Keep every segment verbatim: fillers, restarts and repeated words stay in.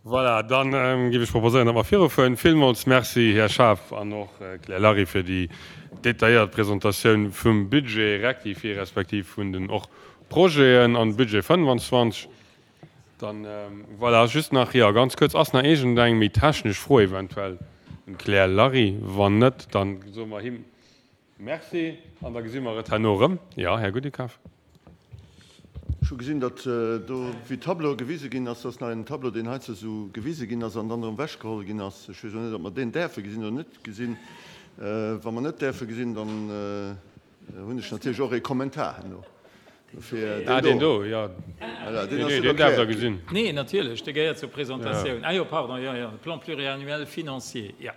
Voilà, dann géif ech proposéieren, datt mer virufueren. Villmools Merci, Här Schaaf an och Claire Lary, fir déi detailléiert Presentatioun vum Budget rectifié respektiv vun den och Projeten an Budget fënnefanzwanzeg. Dann, voilà, just nach, jo, ganz kuerz, ass nach iergendeng méi technesch Fro eventuell un d'Claire Lary? Wann net, dann soe mer him Merci an da gesi mer et herno erëm. Jo, Här Goudekaf. Ech hu gesinn, datt do wéi Tableaue gewise ginn ass. Dat ass nach en Tableau, deen heizou esou gewise ginn ass an dann erëm ewechgeholl ginn ass. Ech weess elo net, ob mer deen däerfe gesinn oder net gesinn. Wa mer net däerfe gesinn, dann hunn ech natierlech och ee Kommentar herno. Dofir Ah, deen do, jo. Voilà, deen Nee, ass nee, net deen däerft Der erkläert gesinn. Nee, natierlech, dee gehéiert zur Presentatioun. Ah jo, pardon, jo, jo, de Plan pluriannuel financier, jo.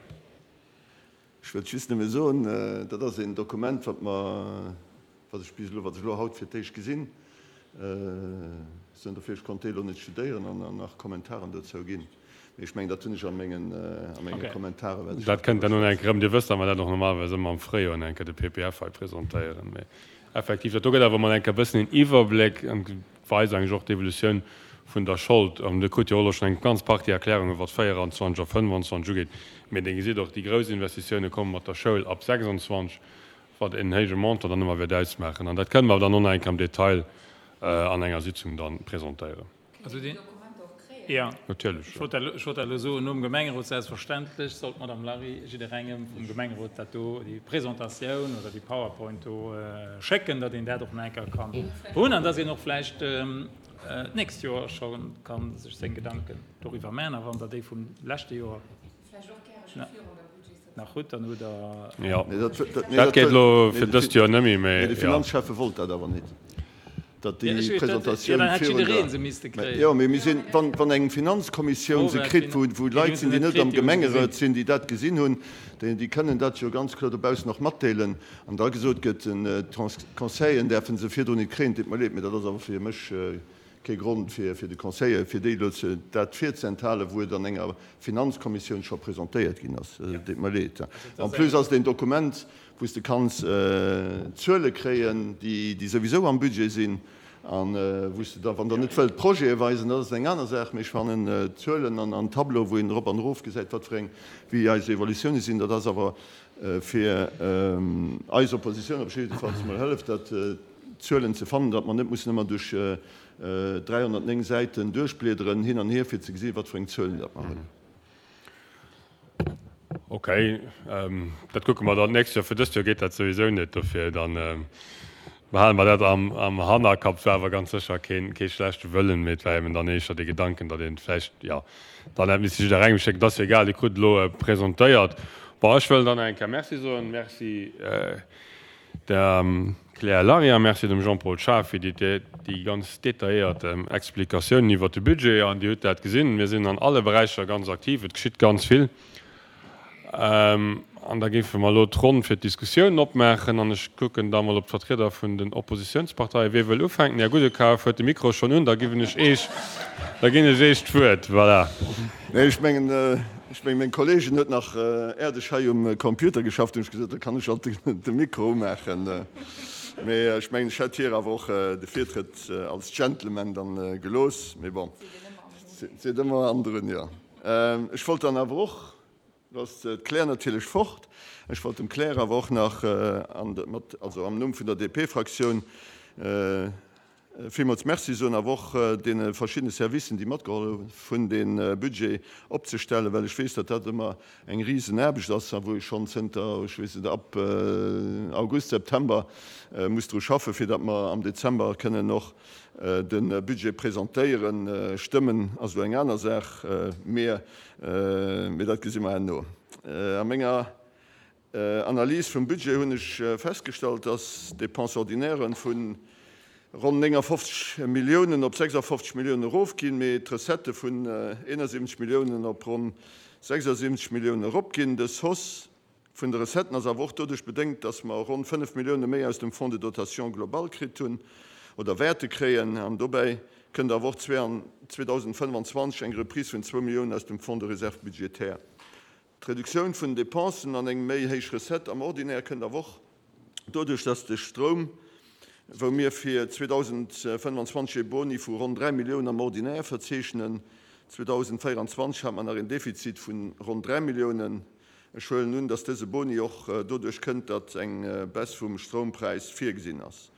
Ech wëllt just nëmme soen, dat ass een Dokument, wat mer, wat ech bis elo, wat ech elo haut fir d'éischt gesinn. Soen dofir, ech konnt déi elo net studéieren an nach Kommentaren dozou ginn. Mee ech mengen, dat hunn ech a mengen, a menge Kommentare wäert ech Dat dat kënnt dann drëwer eng Kéier schwätzen. erëm. Dir wësst, datt mer dat och normalerweis ëmmer am Fréijoer eng Kéier de P P F hei presentéieren. Mee effektiv, dat do gëtt awer emol eng Kéier e bëssen een Iwwerbléck an weist eigentlech och d'Evolutioun vun der Schold. An Dir krut jo och elo schonn eng ganz Partie Erklärungen, wat véieranzwanzeg a fënnefanzwanzeg ugeet. Mee Dir gesitt och, déi grouss Investitioune komme mat der Schoul ab sechsundzwanzeg, wat en héije Montant dann ëmmer wäert ausmaachen. An dat kënne mer dann och nach eng Kéier am Detail an enger Sitzung da presentéieren. Also deen, jo, Natierlech, ech jo. wollt dat, ech wollt dat elo soen, nom Gemengerot selbstverständlech soll d'Madame Lary jidderengem vum Gemengerot dat do, déi Presentatioun oder déi PowerPoint do schécken, datt een dat och nach eng Kéier kann hunn an datt een och vläicht d'nächst Joer scho ka sech seng Gedanken doriwwer maachen. A wann Der déi vum leschte Joer nach hutt, dann hutt Der. Jo, Nee, dat, dat, nee, dat dat geet wëll, elo nee, fir de dëst Fi, Joer net méi, nee, mee de jo. Finanzschäffe wollt dat awer net, datt Ja, déi ech weess, dat, jo, Presentatioun dann hätt virun jidderee der, se misste mä kréien. jo, mee mir sinn, wann, wann eng Finanzkommissioun Fro se war kritt, wou, d'Fin, wou déi Leit hunn se sinn, déi net net am kritt, déi hu se gesinn. Gemengerot sinn, déi dat gesinn hunn, déi, déi kënnen dat jo ganz kloer dobaussen och matdeelen, an da gesot gëtt, den d'Conseillen däerfe se virdrun net kréien, deet mer leed, mee dat ass awer fir mech kee Grond fir, fir de Conseiller, fir déi elo ze, dat virzeentthalen, wou et an enger Finanzkommissioun scho presentéiert ginn ass. Deet mer leed. En plus ass et een Dokument, wou s de kanns Zuele kréien, déi, déi souwisou am Budget sinn, a wou s de da, wann Der net wëllt Projete weisen, dat ass eng aner Saach, mee ech fannen Zuelen an, an Tableau, wou een erop an erof gesäit, wat fir eng, wéi eis Evolutiounen sinn, dat ass awer fir eis Oppositioun op jiddefalls mol hëlleft dat, Zuelen ze fannen, datt mer net mussen ëmmer duerch dräihonnertnéng Säiten duerchbliederen hin an hier, fir ze gesinn, wat fir eng Zuelen datt mer hunn. Okay, dat kucke mer dann d'nächst Joer. Fir dëst Joer geet dat souwisou net, dofir dann behale mer dat am Hannerkapp. War awer ganz sécher keen, kee schlechte Wëllen, mee et war eben dann éischter de Gedanken, datt een vläicht, jo, dann hätt misste jidderengem schécken. Et ass jo egal, Dir krut et elo presentéiert. Bon, ech wëll dann nach eng Kéier Merci soen. Merci der Claire Lariat, merci dem Jean-Paul Schaaf fir déi déi ganz detailléiert Explikatiounen iwwert de Budget. An Dir hutt dat gesinn, mir sinn an alle Beräicher ganz aktiv, et geschitt ganz vill. An da géife mer elo d'Ronn fir d'Diskussiounen opmaachen. An ech kucken da mol op d'Vertrieder vun den Oppositionsparteien. Wie wëll ufänken? Här Gudekaf huet de Mikro schonn un, da ginn ech Eech, da ginn ech Eech d'Wuert. Voilà. Nee, ech mengen, Ech mengen, meng Kolleegin huet nach äerdeg hei um Computer geschafft, hunn ech gesot, da kann ech alt de Mikro umaachen. Mee ech mengen, ech hätt hir awer och de Virtrëtt als Gentleman dann gelooss. Mee bon, seet ëmmer andrun, jo. Ech wollt dann awer och, lo ass d'Claire natierlech fort, ech wollt dem Claire awer och nach an, mat, also am Numm vun der D P-Fraktioun, villmools Merci soen, awer och deene verschiddene Servicen, déi matgehollef hunn, dee Budget opzestellen, well ech weess, datt dat ëmmer eng Risenaarbecht ass a wou ech schonn zënter, ech weess net, ab August, September muss dru schaffen, fir datt mer am Dezember kënnen och de Budget presentéieren. Stëmmen ass elo eng aner Saach, mee dat gesi mer herno. A menger Analys vum Budget hunn ech festgestallt, dass d'Dépenses ordinaires vu ronn néngafofzeg Milliounen op sechsafofzeg Milliounen erofginn, mee d'Recettë vun eenasiwwenzeg Milliounen op ronn sechsasiwwenzeg Milliounen eropginn. Dës Hausse vun de Recetten ass awer och doduerch bedéngt, dass mer ronn fënnef Millioune méi aus dem Fonds de dotation globale kritt hunn oder wäerte kréien. An dobäi kënnt awer och zweedausendfënnfanzwanzeg eng Reprise vun zwou Milliounen aus dem Fonds de réserve budgétaire. D'Reduktioun vun den Dépensen an eng méi héich Recette am Ordinaire kënnt awer och doduerch, dass de Stroum, wou mir fir zweedausendfënnfanzwanzeg ee Boni vu ronn dräi Milliounen am Ordinaire verzeechnen, zweedausendvéieranzwanzeg hat mer nach een Defizit vu ronn dräi Milliounen. Ech huelen un, datt dëse Boni och doduerch kënnt, datt eng Baisse vum Stroumpräis virgesinn ass.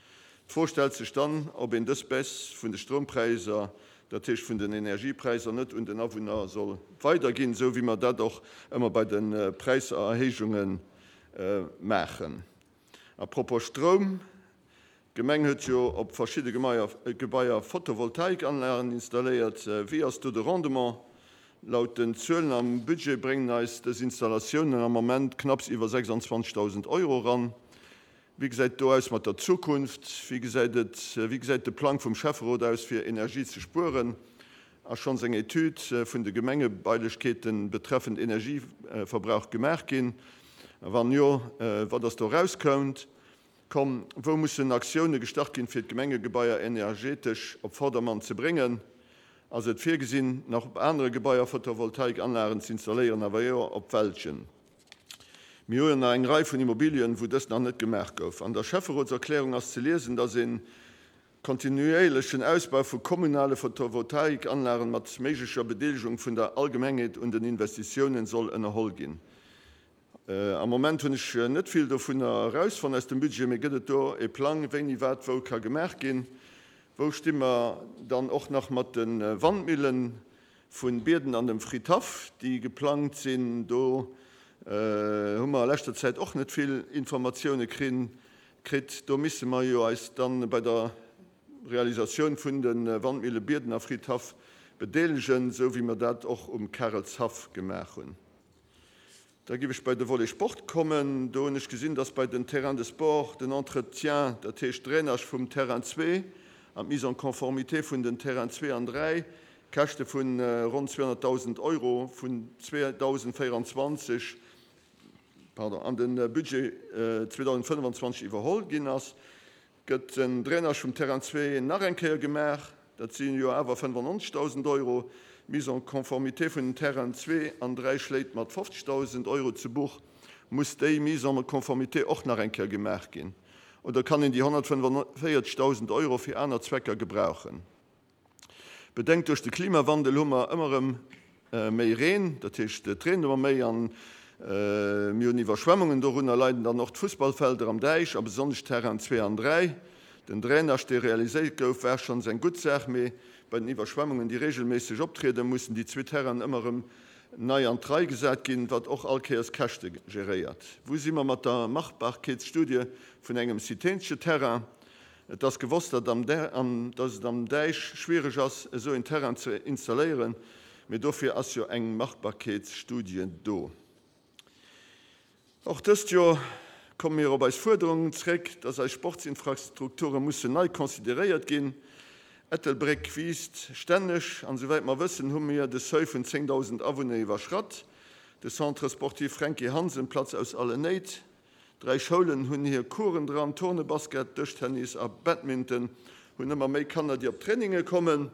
D'Fro stellt sech dann, ob een dës Baisse vun de Stroumpräiser, dat heescht vun den Energiepräisser, net un den Awunner soll weiderginn, esou wéi mer dat och ëmmer bei de Präiserhéijunge maachen. À propos Stroum, D'Gemeng huet jo op verschidde Gebaier Photovoltaikanlagen installéiert. Wéi ass do de Rendement? Laut den Zuelen am Budget bréngen eis dës Installatiounen am Ament knapps iwwer sechsandzwanzegdausend Euro eran. Wéi gesäit et do aus mat der Zukunft? Wéi gesäit et, wéi gesäit de Plang vum Schäfferot aus fir Energie ze spueren? Ass schonns eng Etüd vun de Gemengebailechkeete betreffend Energieverbrauch gemaach ginn? A wann jo, wat ass do erauskoum? Komm, wou mussen Aktioune gestart ginn, fir d'Gemengegebaier energetesch op Vordermann ze bréngen? Ass et virgesinn, nach op anere Gebaier Photovoltaikanlagen ze installéieren, a wa jo, op welchen? Mir hu jo nach eng Rei vun Immobilien, wou dëst nach net gemaach gouf. An der Schäfferotserklärung ass ze liesen, dass e kontinuéierlechen Ausbau vu kommunale Photovoltaikanlagen mat méiglecher Bedeelegung vun der Allgemengheet un den Investitiounen soll ënnerholl ginn. Am Moment hunn ech net vill dovunner erausfonnt aus dem Budget, mee gëtt et do e Plang, wéini wat wou ka gemaach ginn? Wou sti mer dann och nach mat de Wandmillen vu Bierden an dem Fridhaff, déi geplangt sinn? Do hu mer a leschter Zäit och net vill Informatioune kritt. Do misse mer jo eis dann bei der Realisatioun vun de Wandmille Bierden a Fridhaff bedeelegen, esou wéi mer dat och um Karelshaff gemaach hunn. Da géif ech bei de Volet Sport kommen. Do hunn ech gesinn, dass bei den Terrains de sport den Entretien, dat heescht d'Drainage vum Terrain zwee an d'Mise en conformité vun den Terrain zwee an dräi, Käschte vu ronn zweehonnertdausend Euro vun zweedausendvéieranzwanzeg, pardon, an de Budget zweedausendfënnefanzwanzeg iwwerholl ginn ass. Gëtt den Drainage vum Terrain zwee nach eng Kéier gemaach, dat si jo awer fënnefannonzegdausend Euro. D'Mise en conformité vun den Terrainen zwee an dräi schléit mat fofzegdausend Euro zu Buch. Muss déi Mise en conformité och nach eng Kéier gemaach ginn oder kann een déi honnertfënnefannvierzegdausend Euro fir aner Zwecker gebrauchen? Bedéngt duerch de Klimawandel hu mer ëmmer erëm méi Reen, dat heescht et reent ëmmer méi an mir hunn Iwwerschwemmungen. Dorunner leiden dann och d'Fussballfelder am Däich a besonnesch d'Terrainen zwee an dräi. Den Drainage, dee realiséiert gouf, war schonns eng gutt Saach, mee bei den Iwwerschwemmungen, déi reegelméisseg optrieden, mussen déi zwee Terrainen ëmmer erëm nei an d'Rei gesat ginn, wat och all Kéiers Käschte geréiert. Wou si mer mat der Machbarkeetsstudie vun engem citéensche Terrain? Et ass gewosst, datt et am Däich schwiereg ass, esou een Terrain ze installéieren, mee dofir ass jo eng Machbarkeetsstudie do. Och dëst Joer komme mir op eis Fuerderungen zréck, dass eis Sportsinfrastrukture mussen nei consideréiert ginn. Ettelbréck wiisst stänneg an souwäit mer wëssen, hu mir de Seuil vun zéngdausend Awunner iwwerschratt. De Centre sportif Franky Hansen platzt aus allen Néit. Dräi Schoulen hunn hir Coursen dran, Turne, Basket, Dëschtennis a Badminton hunn ëmmer méi Kanner, déi op Traininge kommen.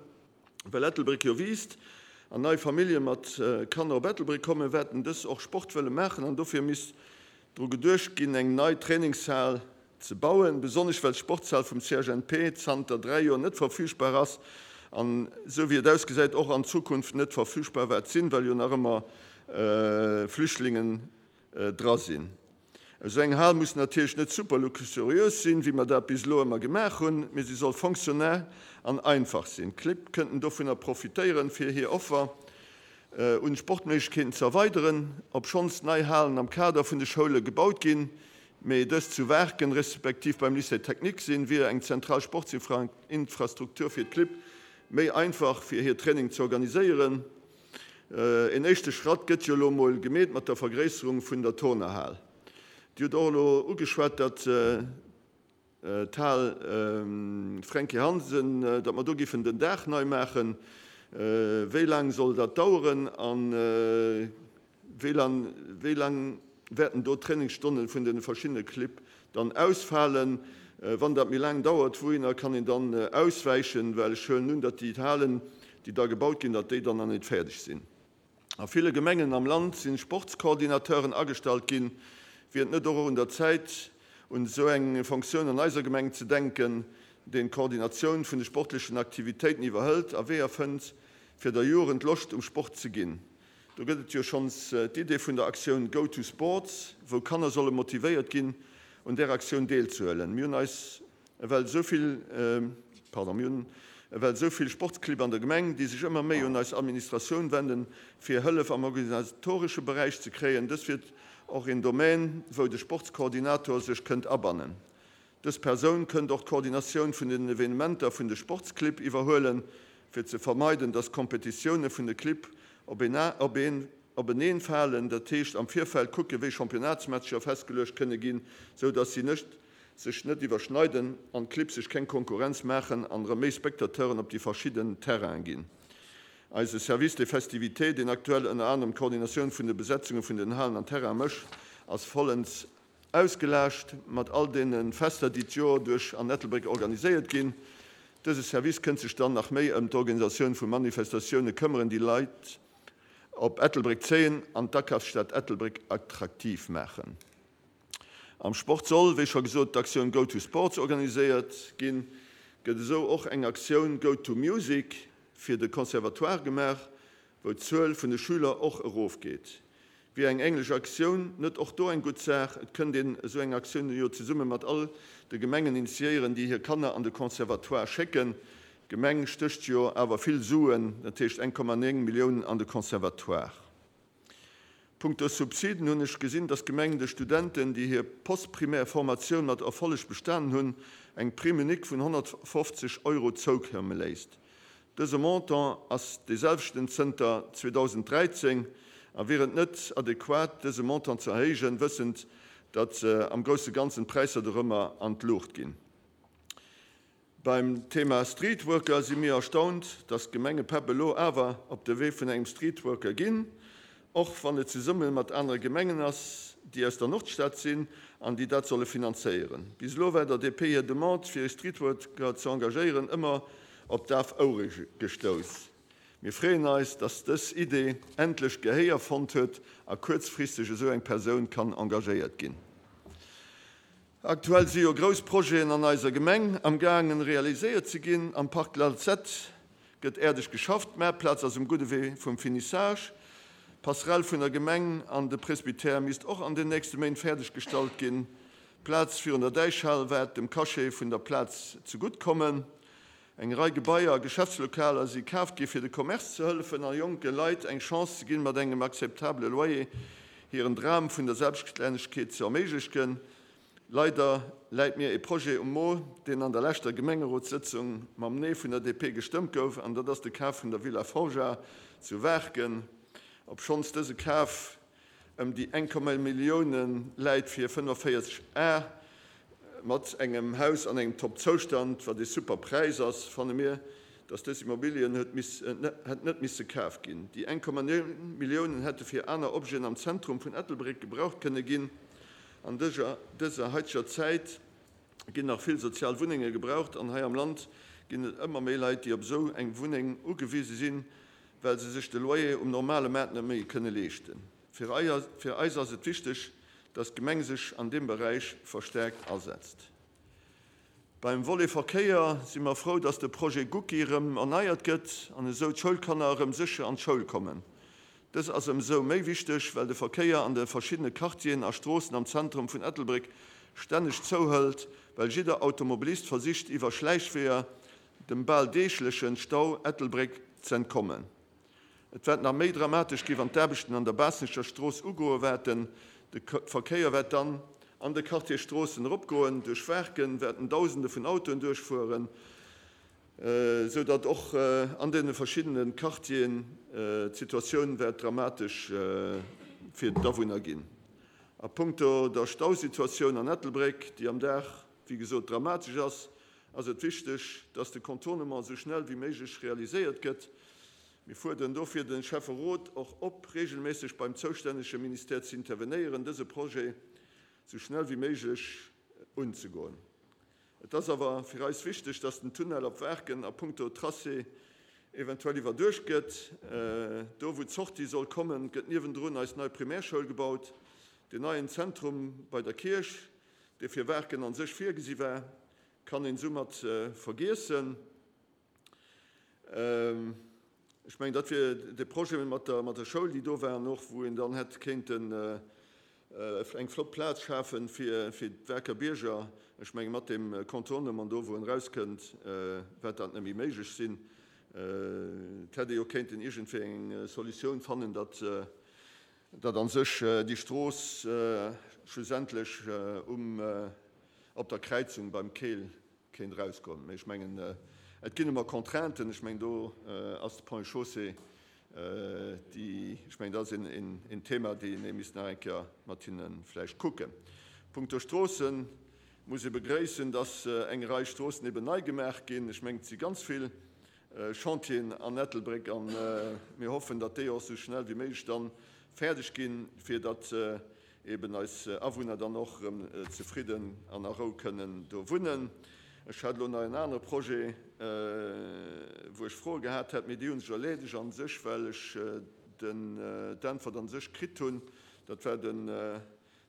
Well Ettelbréck jo wiisst an nei Famillje mat Kanner op Ettelbréck kommen, wäerten dës och Sport wëlle maachen an dofir misst dru geduecht ginn, eng nei Trainingshal ze bauen, besonnesch well d'Sportshal vum C H N P zanter dräi Joer net verfügbar ass an, esou wéi et ausgesäit, och an Zukunft net verfügbar wäert sinn, well jo nach ëmmer Flüchtlingen dra sinn. Esou eng Hal muss natierlech net super luxuriös sinn, wéi mer dat bis elo ëmmer gemaach hunn, mee si soll fonctionnel an einfach sinn. D'Clibb kënnten dovunner profitéieren, fir hir Offer un Sportméiglechkeeten ze erweideren. Obschonns nei Halen am Kader vun de Schoule gebaut ginn, mee dës zu Waarken respektiv beim Lycée technique sinn, wier eng zentral Sportsinfrastruktur fir d'Clibb méi einfach fir hir Training ze organiséieren. Een éischte Schratt gëtt jo elo mol gemeet mat der Vergréisserung vun der Turnerhal. Dir hutt och elo ugeschwat, datt d'Hal Franky Hansen, datt mer do giffen den Daach nei maachen. Wéi laang soll dat daueren a wéi laang wäerten do d'Trainingsstonne vun de verschiddene Clibb dann ausfalen? Wann dat méi laang dauert, wouhinner kann een dann auswäichen? Well ech huelen un, datt déi Halen, déi da gebaut ginn, datt déi dann nach net fäerdeg sinn. A ville Gemengen am Land si Sportscoordinateuren agestallt ginn. Wier et net och un der Zäit, un esou eng Fonctioun an eiser Gemeng ze denken, deen d'Koordinatioun vun de sportlechen Aktivitéiten iwwerhëlt a Weeër fënnt, fir der Jugend Loscht um Sport ze ginn. Do gëtt et jo schonns d'Idee vun der Aktioun Go to Sports, wou Kanner solle motivéiert ginn, un där Aktioun deelzehuelen. Mir hunn eis ewell esou vill, pardon, mir hunn ewell esou vill Sportsclibb an der Gemeng, déi sech ëmmer méi un eis Administratioun wenden, fir Hëllef am organisatoresche Beräich ze kréien. Dës wier och een Domaine, wou de Sportskoordinator sech kënnt abannen. Dës Persoun kënnt och d'Koordinatioun vun den Evenementer vun de Sportsclibb iwwerhuelen, fir ze vermeiden, dass d'Kompetitioune vun de Clibb op een openeen falen, dat heescht am Virfeld kucken, wéi Championnatsmatcher festgeluecht kënne ginn, sou dass si sech net iwwerschneiden an d'Clibb sech keng Konkurrenz maachen an erëm méi Spectateuren op déi verschidden Terrainen ginn. Eise Service des festivités, deen aktuell ënner anerem d'Koordinatioun vun de Besetzunge vun den Halen an Terraine mécht, ass vollends ausgelaascht mat all deene Fester, déi d'Joer duerch an Ettelbréck organiséiert ginn. Dëse Service kënnt sech dann nach méi ëm d'Organisatioun vu Manifestatioune këmmeren, déi Leit op Ettelbréck zéien an d'Akafsstad Ettelbréck attraktiv maachen. Am Sport soll, wéi scho gesot, d'Aktioun Go to Sports organiséiert ginn. Gëtt esou och eng Aktioun Go to Music fir de Conservatoire gemaach, wou d'Zuel vun de Schüler och erofgeet. Wier eng änlech Aktioun net och do eng gutt Saach? Et kënnt een esou eng Aktioun jo zesumme mat all de Gemengen initiéieren, déi hir Kanner an de Conservatoire schécken. D'Gemeng stécht jo awer vill Suen, dat heescht eng Komma néng Milliounen an de Conservatoire. Punkto Subsiden hunn ech gesinn, dass d'Gemeng de Studenten, déi hir postprimaire Formatioun mat Erfolleg bestanen hunn, eng Prime unique vun honnertfofzeg Euro zoukomme léisst. Dëse Montant ass dee selwechten zënter zweedausenddräizéng a wier et net adequat, dëse Montant ze erhéijen, wëssend, datt am grousse Ganzen d'Präisser dorëmmer an d'Luucht ginn. Beim Thema Streetworker si mir erstaunt, datt d'Gemengepäpp elo awer op de Wee vun engem Streetworker ginn, och wann et zesumme mat anere Gemengen ass, déi aus der Nordstad sinn an déi dat solle finanzéieren. Bis elo war der D P hir Demande, fir e Streetworker ze engagéieren, ëmmer op daf Ouere gestouss. Mir freeën eis, dass dës Idee endlech Gehéier fonnt huet a kuerzfristeg esou eng Persoun kann engagéiert ginn. Aktuell si jo grouss Projeten an eiser Gemeng am gaangen realiséiert ze ginn. Am Parc Lalzette gëtt äerdeg geschafft, d'Maartplaz ass um gudde Wee vum Finissage, d'Passerelle vun der Gemeng an de Presbytère misst och an den nächste Méint fäerdeg gestallt ginn. D'Plaz virun der Däichhal waert dem Cachet vun der Plaz zegutt kommen. Eng Rei Gebaier a Geschäftslokaler si kaaft gi fir de Commerce ze hëllefen a jonke Leit eng Chance ze ginn, mat engem akzeptabele Loyer hiren Dram vun der Selbststännegkeet ze erméiglechen. Leider läit mir e Projet um Mo, deen an der leschter Gemengerotssëtzung mam Nee vun der D P gestëmmt gouf, an dat ass de Kaf vun der Villa Forja zu Waarken. Obschonns dëse Kaf ëm déi eng Komma Millioune läit fir fënnefenvéierzeg Ar, mat engem Haus an engem Top-Zoustand, wat ee super Präis ass, fanne mir, dass dës Immobilien huet hätt net misse kaf ginn. Déi eng Komma néng Milliounen hätte fir aner Objeten am Zentrum vun Ettelbréck gebraucht kënne ginn. An dëser haiteger Zäit ginn nach vill sozial Wunnenge gebraucht an hei am Land ginn et ëmmer méi Leit, déi op esou eng Wunneng ugewise sinn, well se sech de Loyer um normale Maart net méi kënne leeschten. Fir eis ass et wichteg, dass d'Gemeng sech an deem Beräich verstärkt asetzt. Beim Volet Verkéier si mer frou, dass de Projet Gucki erëm erneiert gëtt an esou d'Schoulkanner erëm sécher an d'Schoul kommen. Dës ass ëmsou méi wichteg, well de Verkéier an de verschiddene Quartieren a Stroossen am Zentrum vun Ettelbréck stänneg zouhëlt, well jidder Automobilist versicht iwwer Schläichweeër dem bal deegleche Stau Ettelbréck z'entkommen. Et wäert nach méi dramatesch gi wann d'Aarbechten an der Baassenecher Strooss ugoe wäerten. De Verkéier wäert dann an de Quartier Stroossen eropgoen. Duerch Waarken wäerten Dausende vun Autoen duerchfueren, esou datt och an deene verschiddene Quartieren d'Situatioun wäert dramatesch fir d'Awunner ginn. A punkto der Stausituatioun an Ettelbréck, déi am Dag, wéi gesot, dramatesch ass, ass et wichteg, datt de Contournement esou schnell wéi méiglech realiséiert gëtt. Mir fuerderen dofir de Schäfferot och op, reegelméisseg beim zoustännege Ministère ze intervenéieren, dëse Projet sou schnell wéi méiglech unzegoen. Et ass awer fir eis wichteg, dass den Tunnel op Waarken a punkto Tracé eventuell iwwerduecht gëtt. Do wou d'Sortie soll kommen, gëtt niewendrun eis nei Primärschoul gebaut. Deen neien Zentrum bei der Kierch, dee fir Waarken an sech virgesi war, kann een soumat vergiessen. Ech mengen, dat wier de Projet mat der, mat der Schoul, déi do waren och, wou een dann hätt kéinten eng flott Plaz schafen fir, fir d'Waerker Bierger. Ech mengen, mat deem Contournement do, wou en erauskënnt, wäert dat net méi méiglech sinn. Et hätt ee jo kéinten iergendwéi eng Solutioun fannen, datt, datt a sech déi Strooss schlussendlech um, op der Kräizung beim Keel kéint erausgoen. Mee ech mengen, et ginn ëmmer Contrainten. Ech mengen, do ass de Ponts et Chaussées, déi, ech mengen, dat ass een, een Thema, deen ee misst nach eng Kéier mat hinne vläicht kucken. Punkto Stroossen muss ee begréissen, dass eng Rei Stroossen eben nei gemaach ginn. Ech mengen, et si ganz vill Chantieren an Ettelbréck a mir hoffen, datt déi och esou schnell wéi méiglech dann fäerdeg ginn, fir datt eben eis Awunner dann och erëm zefridden an a Rou kënnen do wunnen. Ech hat elo nach en anere Projet, wou ech Froe gehat hätt, mee déi hu sech erleedegt a sech, well ech den d'Äntwert a sech kritt hunn. Dat war den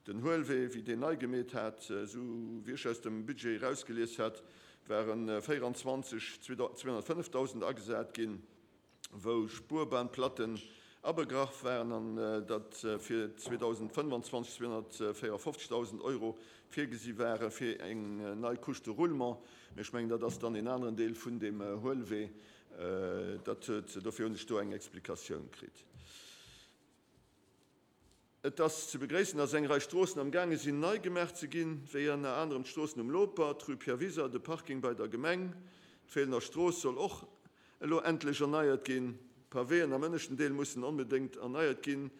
den Huelwee, wéi deen nei gemeet hat. Esou wéi ech aus dem Budget erausgelies hat, ware véieranzwanzeg zweehunnertfënnefdausend agesat ginn, wou Spuerbahnplatten abegraff waren, an datt fir zweedausendfënnefanzwanzeg zweehunnertvéierfofzegdausend Euro virgesi ware fir eng nei Couche de roulement. Mee ech mengen, dat ass dann een aneren Deel vun deem Huelwee. Dat huet, dofir hunn ech do eng Explikatioun kritt. Et ass ze begréissen, dass eng Rei Stroossen am gaange sinn nei gemaach ze ginn, wéi ënner anerem d'Stroossen um Loper, d'Rue Pierre Wiser, de Parking bei der Gemeng. D'Feelener Strooss soll och elo endlech erneiert ginn. D'Pavéen am ënneschten Deel mussen onbedéngt erneiert ginn.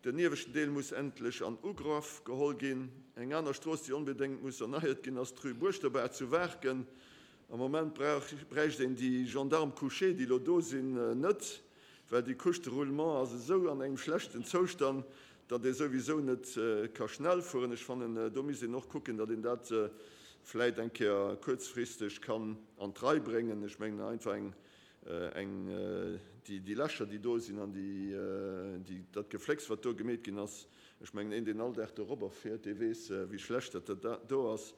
Den ieweschten Deel muss endlech an Ugrëff geholl ginn. Eng aner Strooss, déi onbedéngt muss erneiert ginn, ass d'Rue Buerschterbaach zu Waarken. Am Moment bräicht een déi Gendarmes couchés, déi elo do sinn, net, well déi Couche de roulement ass esou an engem schlechten Zoustand, datt ee souwisou net ka schnell fueren. Ech fannen, do misst een och kucken, datt een dat vläit eng Kéier kuerzfristeg kann an d'Rei bréngen. Ech mengen einfach eng, eng, déi, déi Lächer, déi do sinn an déi, déi, dat Geflécks, wat do gemeet ginn ass, ech mengen, een, deen all Dag dorobber fiert, dee weess, wéi schlecht dat do ass.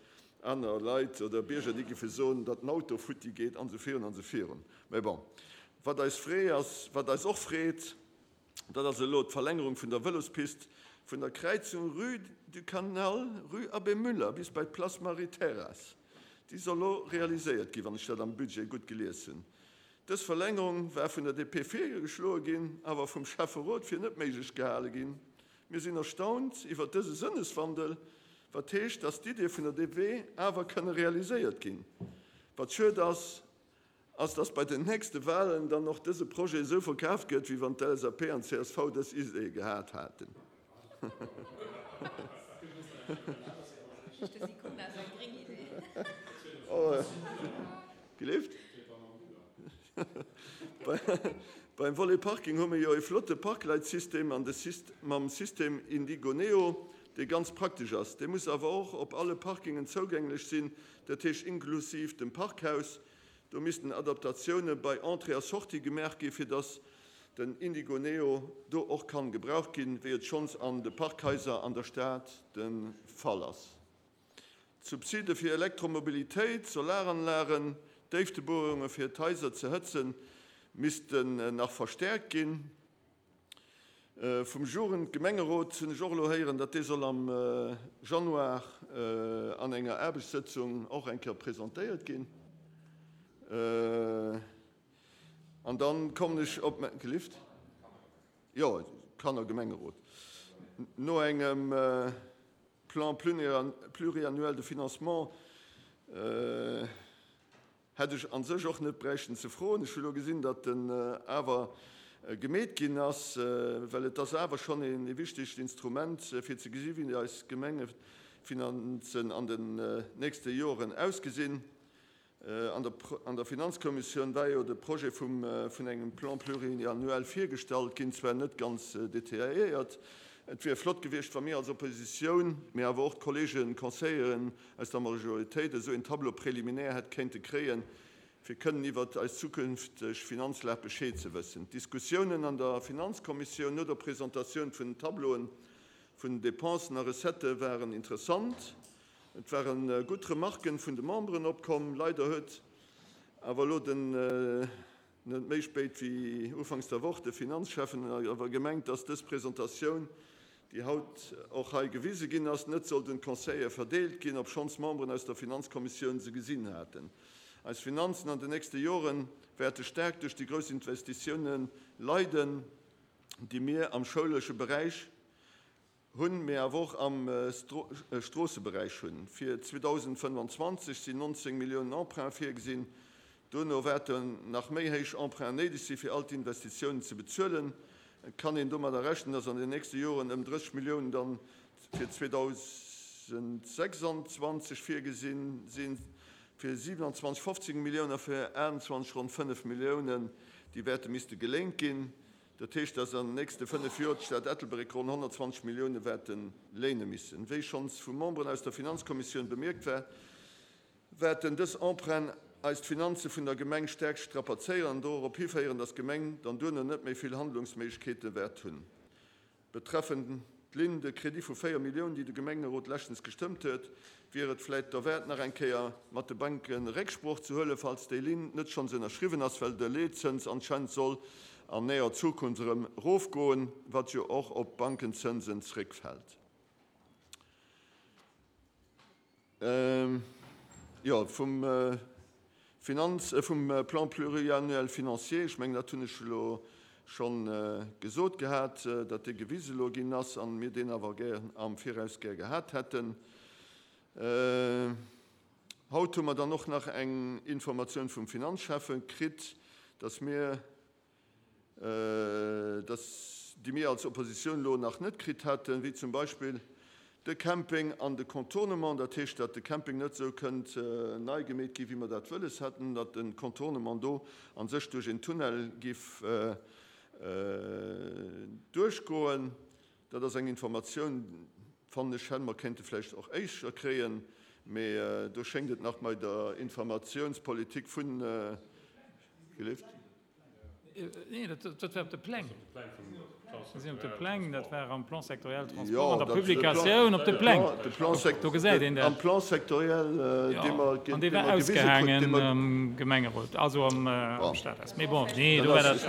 Aner Leit oder Bierger, déi géife soen, datt den Auto futti geet an esou virun an esou virun. Mä bon, wat eis free ass, wat eis och freet, dat ass elo d'Verlängerung vun der Vëlospist vun der Kräizung Rue du Canal, Rue Abbé Müller bis bei d'Place Marie-Thérèse. Déi soll elo realiséiert ginn, wann ech dat am Budget gutt gelies hunn. Dës Verlängerung war vun der D P virgeschloe ginn, awer vum Schäfferot fir net méiglech gehale ginn. Mir sinn erstaunt iwwer dëse Sënneswandel, wat heescht, dass d'Idee vun der D P awer kënne realiséiert ginn. Wat schued ass, ass, dass bei den nächste Wahlen dann och dëse Projet esou verkaaft gëtt, wéi wann d'L S A P an d'C S V dës Idee gehat haten. De Sicona ass eng gréng Idee. Oh, gelift? Beim Volet Parking hu mir jo e flotte Parkleitsystem an de mam System Indigo Neo, dee ganz praktesch ass. Dee muss awer och op alle Parkingen zougänglech sinn, dat heescht inklusiv dem Parkhaus. Do missten Adaptatioune bei Entrée a Sortie gemaach gi fir dass den Indigo Neo do och kann gebraucht ginn, wéi et schonns an de Parkhaiser an der Stad de Fall ass. D'Subside fir Elektromobilitéit, Solaranlagen, Déiftebuerunge fir d'Haiser ze hëtzen, missten nach verstäerkt ginn. Vum Jugendgemengerot hunn ech och elo héieren, datt dee soll am Januar an enger Aarbechtssëtzung och eng Kéier presentéiert ginn. An dann kommen ech op, gelift? Jo, Kannergemengerot. No engem Plan pluriannuel de financement hätt ech an sech och net bräichten ze froen. Ech hu lo gesinn, datt en awer gemeet ginn ass, well et ass awer schonn ee wichtegt Instrument, fir ze gesi wéi eis Gemengefinanzen an den nächste Joren ausgesinn. An der an der Finanzkommissioun war jo de Projet vum vun engem Plan pluriannuel virgestallt ginn, zwar net ganz detailléiert. Et wier flott gewiescht, wa mir als Oppositioun, mee awer och d'Kollegen Conseilleren aus der Majoritéit esou een Tableau préliminaire hätt kéinte kréien, fir kënnen iwwert eis zukünfteg Finanzlag Bescheed ze wëssen. D'Diskussiounen an der Finanzkommissioun no der Presentatioun vun den Tableauen vun den Dépensen a Recettë waren interessant. Et ware gutt Remarken vun de Memberen opkomm. Leider huet awer elo den Net méi spéit wéi ufanks der Woch de Finanzschäffen awer gemengt, dass dës Presentatioun, déi haut och hei gewise ginn ass, net sollt un d'Conseillere verdeelt ginn, obschonns Memberen aus der Finanzkommissioun se gesinn haten. Eis Finanzen an den nächste Jore wäerte staark duerch déi grouss Investitioune leiden, déi mir am schoulesche Beräich hunn, mee awer och am Stroosseberäich hunn. Fir zweedausendfënnefanzwanzeg sinn nonzéng Milliounen Emprunt virgesinn. Duerno wäerten nach méi héich Emprunten néideg sinn, fir all d'Investitiounen ze bezuelen. Et kann een domadder rechnen, dass an den nächste Joren ëm drësseg Milliounen dann fir zweedausendsechsanzwanzeg virgesinn sinn, fir siewenundzwanzeg fofzéng Milliounen a fir aachtundzwanzeg ronn fënnef Milliounen, déi wäerte misste geléint ginn. Dat heescht, dass an den nächste fënnef Joer d'Stad Ettelbréck ronn honnertzwanzeg Millioune wäerte léine missen. Wéi schonns vu Memberen aus der Finanzkommissioun bemierkt war, wäerten dës Emprunten eis d'Finanze vun der Gemeng staark strapazéieren an dorop hiféieren, dass d'Gemeng dann duerno net méi vill Handlungsméiglechkeete wäert hunn. Betreffend d'Ligne de crédit vu véier Milliounen, déi de Gemengerot leschtens gestëmmt huet, wier et vläit derwäert, nach eng Kéier mat de Banke Récksprooch ze huelen, falls déi Ligne net schonns ënnerschriwwen ass, well de Leetzëns anscheinend soll an näher Zukunft erëm erofgoen, wat jo och op d'Bankenzënsen zréckfält. Jo, vum Finanz, vum Plan pluriannuel financier, ech mengen, dat hunn ech elo scho gesot gehat, datt dee gewise elo ginn ass an mir deen awer gär am Viraus gär gehat hätten. Haut hu mer dann och nach eng Informatioun vum Finanzschäffe kritt, datt mir, dass, déi mir als Oppositioun elo nach net kritt haten, wéi zum Beispill de Camping an de Contournement, dat heescht, datt de Camping net esou kënnt nei gemeet gi wéi mer dat wëlles hätten, datt de Contournement do a sech duerch een Tunnel giff duerchgoen. Dat ass eng Informatioun, fannen ech, hätte mer kéinte vläicht och éischer kréien, mee do schéngt et nach bei der Informatiounspolitik vun, gelift? Nee, dat war op de Pläng. Dat sinn op de Pläng, dat war am Plan sectoriel Transport, an der Publikatioun op de Pläng. Do gesäit een dat. Am Plan sectoriel, dee mer An dee war ausgehaangen am Gemengerot, also am Stadhaus. Mee bon, nee, do war dat,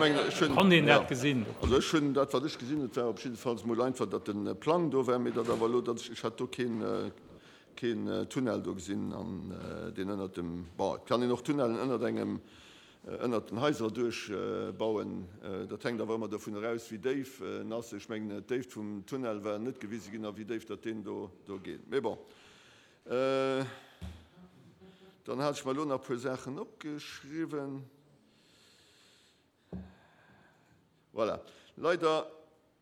konnt een dat gesinn. Also ech hunn dat, wat ech gesinn hunn, et war op jiddefalls emol einfach, datt de Plang do war, mee datt awer elo, datt ech, ech hat do keen, keen Tunnel do gesinn an deen ënnert dem, bon, et kann een och Tunnellen ënnert engem, ënnert den Haiser duerch bauen. Dat hänkt awer ëmmer dovun eraus, wéi déif en ass. Ech mengen, d'Déift vum Tunnel war net gewise ginn a wéi déif datt deen do do geet. Mee bon, dann hat ech mer elo nach e puer Saachen opgeschriwwen. Voilà. Leider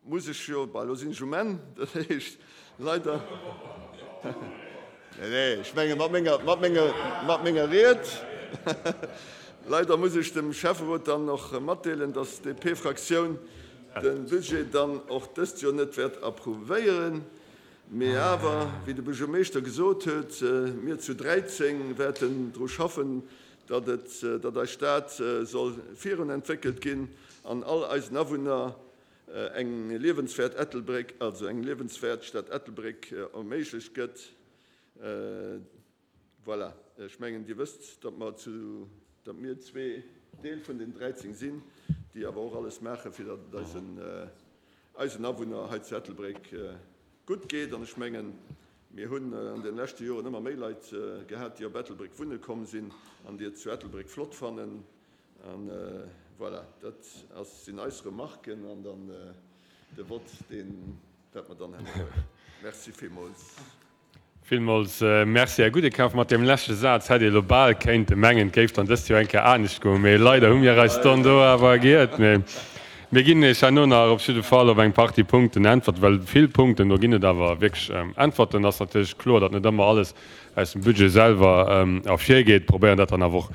muss ech jo, bah, elo sinn ech um Enn, dat heescht, leider, nee, nee, ech menge mat menger, mat menger, mat menger Ried, leider muss ech dem Schäfferot dann och matdeelen, dass d'D P-Fraktioun de Budget dann och dëst Joer net wäert approuvéieren. Mee awer, wéi de Buergermeeschter gesot huet, mir zu dräizéng wäerten dru schaffen, datt et, datt eis Stad soll virun entwéckelt ginn an all eisen Awunner eng liewenswäert Ettelbréck, also eng liewenswäert Stad Ettelbréck erméiglecht gëtt. Voilà, ech mengen, Dir wësst, datt mer zu, datt mir zwee Deel vun den dräizéng sinn, déi awer och alles maachen, fir datt et eisen, eisen Awunner hei zu Ettelbréck gutt geet. An ech mengen, mir hunn an den leschte Joren ëmmer méi Leit gehat, déi op Ettelbréck wunne komm sinn an déi et zu Ettelbréck flott fannen. An voilà, dat ass, sinn eis Remarken an dann de Vott, deen wäerte mer dann herno huelen. Merci villmools. Villmools Merci, Här Gudekaf. Mat deem leschte Saz hätt ee lo bal kéinte mengen, et géif dann dëst Joer eng Kéier anescht goen, mee leider hu mir eis dann do awer giert. Mee mir ginn Iech herno nach op jidde Fall op eng Partie Punkten Äntwerten, well vill Punkten, do ginn et awer wierklech Äntwerten. Ass natierlech kloer, datt net ëmmer alles aus dem Budget selwer ervirgeet. Probéieren dat dann awer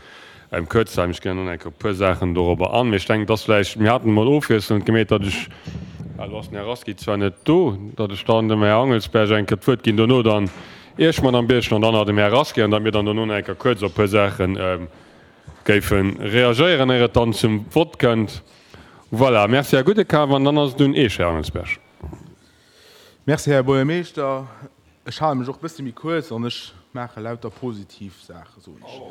och kuerz ze halen. Ech ginn herno nach eng Kéier op e puer Saachen dorobber an. Mee ech denken, et ass vläicht, mir haten emol ofwiesselnd gemeet, datt ech, elo ass den Här Rasqui zwar net do, datt ech dann dem Här Angelsberg eng Kéier d'Wuert ginn, dono dann Iech, Madame Birchen, an dann nach dem Här Rasqui, an datt mir dann dono nach eng Kéier kuerz op e puer Saache géife reagéieren, éier et dann zum Vott kënnt. Voilà, merci, Här Gudekaf. An dann ass et un Iech, Här Angelsberg. Merci, Här Buergermeeschter. Ech hale mech och e bësse méi kuerz an ech maache lauter positiv Saache, soen ech.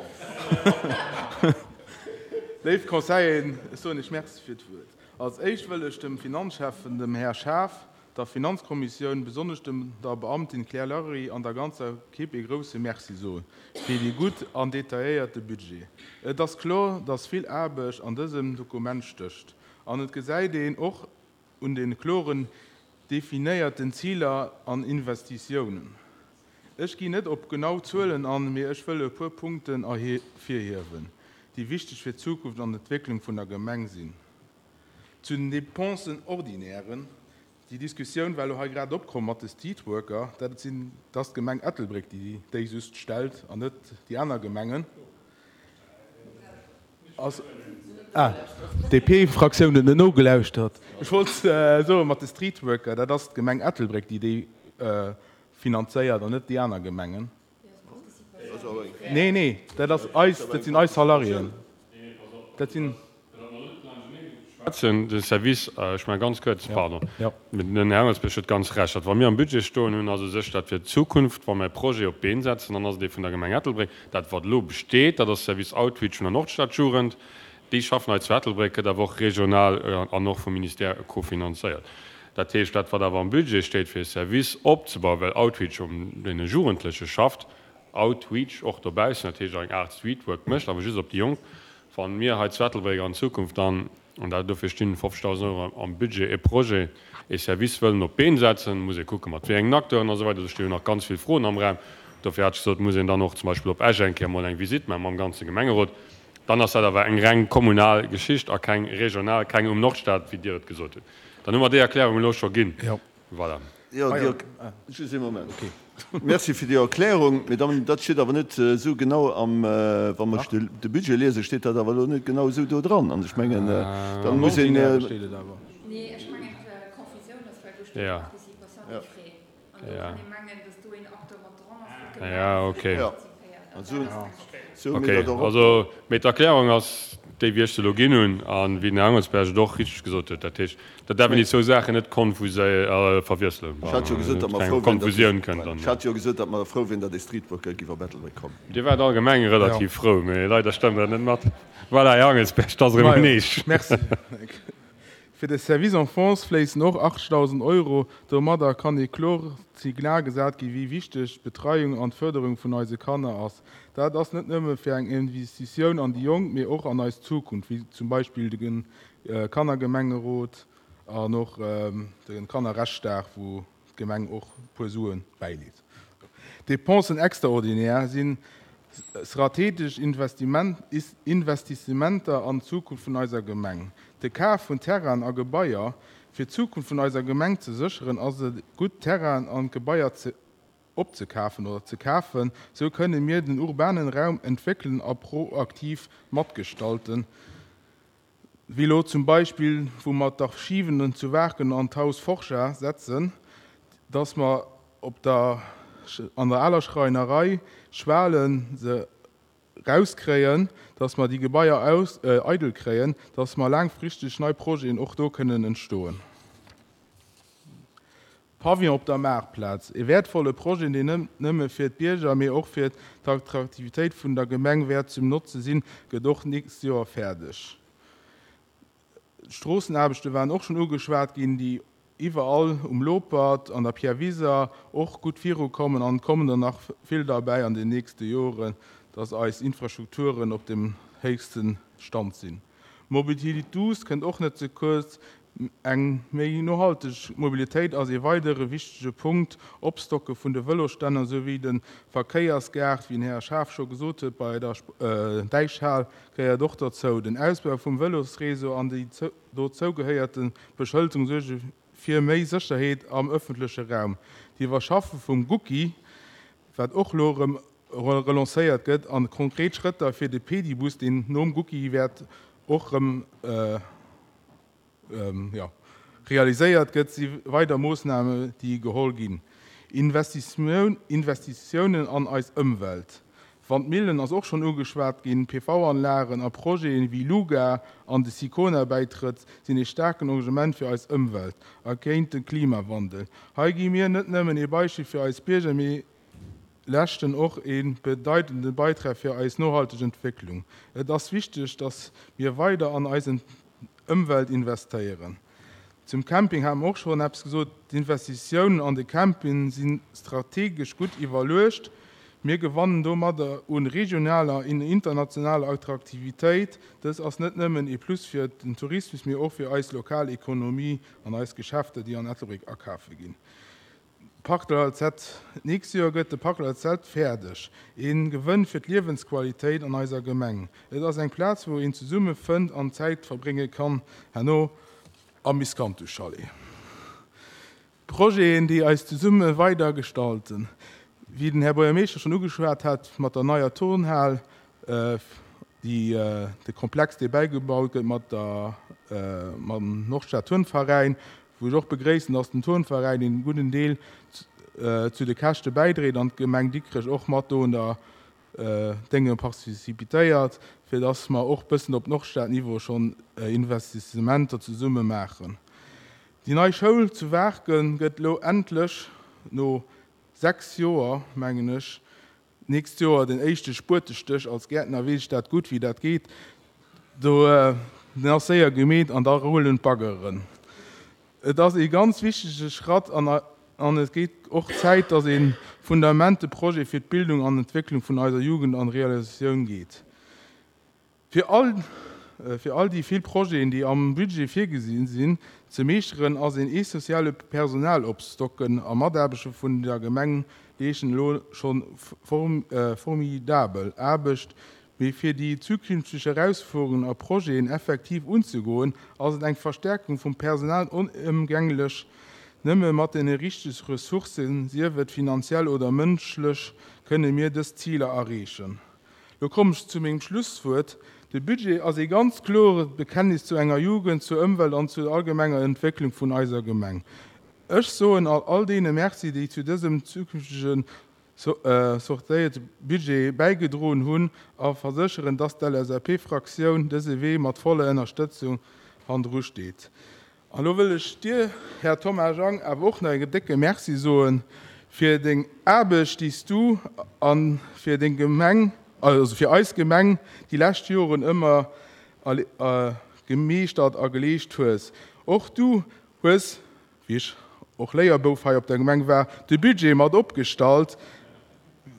Léif Conseilleren, ech soen Iech Merci fir d'Wuert. Als éischt wëll ech dem Finanzschäffen, dem Här Schaaf, der Finanzkommissioun, besonnesch dem der Beamtin Claire Larry an der ganzer Ekipp ee grouse Merci soen fir dee gutt an detailléierte Budget. Et ass kloer, dass vill Aarbecht an dësem Dokument stécht an et gesäit een och un de kloren definéierten Ziler an Investitiounen. Ech ginn net op genau Zuelen an, mee ech wëll e puer Punkten ervirhiewen, déi wichteg fir d'Zukunft an d'Entwécklung vun der Gemeng sinn. Zu den Dépensen ordinairen, déi Diskussioun war elo hei grad opkomm mat de Streetworker, dat sinn, dat ass d'Gemeng Ettelbréck, déi déi just stellt an net déi aner Gemengen. Ass, ah, d'DP-Fraktioun huet net nogelauschtert. Ech wollt soen, mat de Streetworker, dat ass d'Gemeng Ettelbréck, déi déi finanzéiert an net déi aner Gemengen. Nee, nee, dat ass eis, dat sinn eis Salariéen. Dat sinn. Schwätzen, de Service, ech maache ganz kuerz, pardon, mee den Här Angelsbech huet ganz Recht, dat wa mir am Budget stoen hunn, ass u sech dat fir d'Zukunft, wa mir e Projet op d'Been setzen, dann ass et dee vun der Gemeng Ettelbréck. Dat wat elo besteet, dat ass Service Outreach vun der Nordstadjugend, déi schaffen hei zu Ettelbréck, gëtt awer och regional an och vum Ministère cofinanzéiert. Dat heescht, dat wat awer am Budget steet fir e Service opzebauen, well Outreach um deene Jugendleche schafft, Outreach och dobaussen, dat heescht eng Aart Streetwork mécht, awer just op déi Jonk, wa mir hei zu Ettelbréck an Zukunft dann, an dat dofir stinn fofzegdausend Euro am Budget, e Projet, e Service wëllen op d'Been setzen, muss ee kucke mat wéi engen Acteuren a sou weider. Do sti jo nach ganz vill Froen am Raum. Dofir hat ech gesot, muss een dann och zum Beispill op Esch eng Kéier emol eng Visitt maache mam ganze Gemengerot. Dann ass dat awer eng reng kommunal Geschicht a keng regional, keng um Nordstad, wéi Dir et gesot hutt. Dann hu mer déi Erklärung elo scho ginn. Voilà. Jo, déi, just ee Moment. Merci fir déi Erklärung. Mee dann, dat steet awer net esou genau am, wa mer de Budget liesen, steet dat awer elo net genau esou do dran. An ech mengen, da muss een. Nee, ech mengen, d'Confusioun ass, well do steet Participation des frais. An do kann ee mengen, dass do een Acteur mat dran ass, wou d'Gemeng participéiert. An dat ass meng Confusioun. Okay, also, mee d'Erklärung ass déi, wéi ech se elo ginn hunn a wéi den Här Angelsberg et och richteg gesot huet. Dat heescht, dat däerf een déi zwou Saachen net verwiesselen, Ech hat jo gesot, datt mer keng frou wieren, datt Konfusioun kënnt dann. Ech hat jo gesot, datt mer frou wieren, datt ee Streetworker giff op Ettelbréck kommen. Dir waart allgemeng relativ frou, mee leider stëmmt dat net mat. Voilà, Här Angelsberg, 't ass erëm un Iech. Merci. Fir de Service Enfance fléissen och achtzegdausend Euro. Domadder kann ee kloert Signal gesat ginn, wéi wichteg d'Betreiung an d'Fërderung vun eise Kanner ass. Dat ass net nëmme fir eng Investitioun an déi Jonk, mee och an eis Zukunft, wéi zum Beispill de Kannergemengerot an och de Kannerrechtsdag, wou d'Gemeng och e puer Sue bäileet. D'Dépensen extraordinaires si strategesch Investissementer an d'Zukunft vun eiser Gemeng. De Kaf vun Terrainen a Gebaier. Fir d'Zukunft vun eiser Gemeng ze sécheren, ass et gutt, Terrainen an Gebaier ze opzekafen oder ze kafen. Sou kënne mir den urbanen Raum entwéckelen a proaktiv matgestalten, wéi lo zum Beispill, wou mer d'Archiven zu Waarken an d'Haus Forja setzen, dass mer op der an der aler Schreinerei Schwalen se rauskréien, dass mer déi Gebaier aus eidel kréien, dass mer laangfristeg nei Projeten och do kënnen entstoen. Pavillon op der Maartplaz, e wäertvolle Projet, deen net nëmme fir d'Bierger, mee och fir d'Attraktivitéit vun der Gemeng wäert zum Notze sinn, gëtt och d'nächst Joer fäerdeg. D'Stroossenaarbechte waren och schonn ugeschwat ginn, déi iwwerall um Lopert, an der Pierre Wiser och gutt virukommen an et kommen der nach vill derbäi an den nächste Joren, dass eis Infrastrukturen op dem héchste Stand sinn. D'Mobilité douce kënnt och net ze kuerz. Eng méi nohalteg Mobilitéit ass ee weidere wichtege Punkt. Opstocke vun de Vëlosstänner souwéi de Verkéiersgaart, wéi den Här Schaaf scho gesot huet, bei der Däichhal gehéiert och derzou. Den Ausbau vum Vëlosreseau an déi dozou gehéierte Beschëlterung suerge fir méi Sécherheet am ëffentleche Raum. D'Iwwerschaffe vum Gucci, wat och elo erëm relancéiert gëtt, an konkret Schrëtter fir de Pedibus, deen nom Gucci wäert och erëm realiséiert gëtt, si weider Moossnamen, déi geholl ginn. Investitiounen an eis Ëmwelt, Wandmillen ass och schonn ugeschwat ginn, P V-Anlagen a Projeten wéi Luga an de Sicona-Bäitrëtt sinn ee staarken Engagement fir eis Ëmwelt a géint de Klimawandel. Hei gi mir net nëmmen ee Beispill fir eis Bierger, mee leeschten och ee bedeitende Beitrag fir eis nohalteg Entwécklung. Et ass wichteg, dass mir weider an eis Ëmwelt investéieren. Zum Camping hate mer och schonn eppes gesot. D'Investitiounen an de Camping si strategesch gutt iwwerluecht. Mir gewannen domadder u regionaler an internationaler Attraktivitéit. Dës ass net nëmmen ee Plus fir den Tourismus, mee och fir eis lokal Ekonomie an eis Geschäfter, déi an Ettelbréck akafe ginn. Parc de l'Alzette, D'nächst Joer gëtt de Parc de l'Alzette fäerdeg. Ee Gewënn fir d'Liewensqualitéit an eiser Gemeng. Et ass eng Plaz, wou een zesumme fënnt an Zäit verbrénge kann, herno am Miscanthus-Chalet. Projeten, déi eis zesumme weider gestalten. Wéi den Här Buergermeeschter schonn ugeschwat hat, mat der neier Turnhal, déi, de Komplex, dee bäigebaut gëtt mat der, mam Nordstad-Turnveräin, wou ech och begréissen, dass den Turnveräin een gudden Deel zu de Käschte bäidréit an d'Gemeng Dikrech och mat do un der Dénge participitéiert, fir dass mer och bëssen op Nordstad-Niveau schonn Investissementer zesumme maachen. Déi nei Schoul zu Waarken gëtt elo endlech no sechs Joer, mengen ech, d'nächst Joer den éischte Spuetestéch. Als Gäertner weess ech dat gutt, wéi dat geet. Do, den ass séier gemeet an da rullen d'Baggeren. Et ass ee ganz wichtege Schratt an an et gétt och Zäit, dass ee fundamente Projet fir d'Bildung an Entwécklung vun eiser Jugend an Realisatioun geet. Fir all fir all déi vill Projeten, déi am Budget virgesi sinn, ze meeschteren, ass een essentielle Personal opstocken a Mataarbechter vun der Gemeng leeschten elo schonn formidabel Aarbecht. Mee fir déi zukünfteg Erausfuerungen a Projeten effektiv unzegoen, ass et eng Verstärkung vum Personal onëmgänglech. Nëmme mat deene richtege Ressourcen, sief et finanziell oder mënschlech, kënne mir dës Ziler erreechen. Lo kommen ech zu mengem Schlusswuert. De Budget ass ee ganz kloert Bekenntnis zu enger Jugend, zur Ëmwelt an zur allgemenger Entwécklung vun eiser Gemeng. Ech soen all all deene Merci, déi zu dësem zukünftege sortéierte Budget bäigedroen hunn a versécheren, dass d'LSAP-Fraktioun dëse Wee mat voller Ënnerstëtzung hannendru steet. An elo wëll ech dir, Här Thomas Jang, awer och nach e décke Merci soe fir deng Aarbecht, déi s du a fir deng Gemeng, also fir eis Gemeng déi lescht Joren ëmmer gemeeschtert a geleescht hues. Och du hues, wéi ech och Léierbouf hei op der Gemeng war, de Budget mat opgestallt.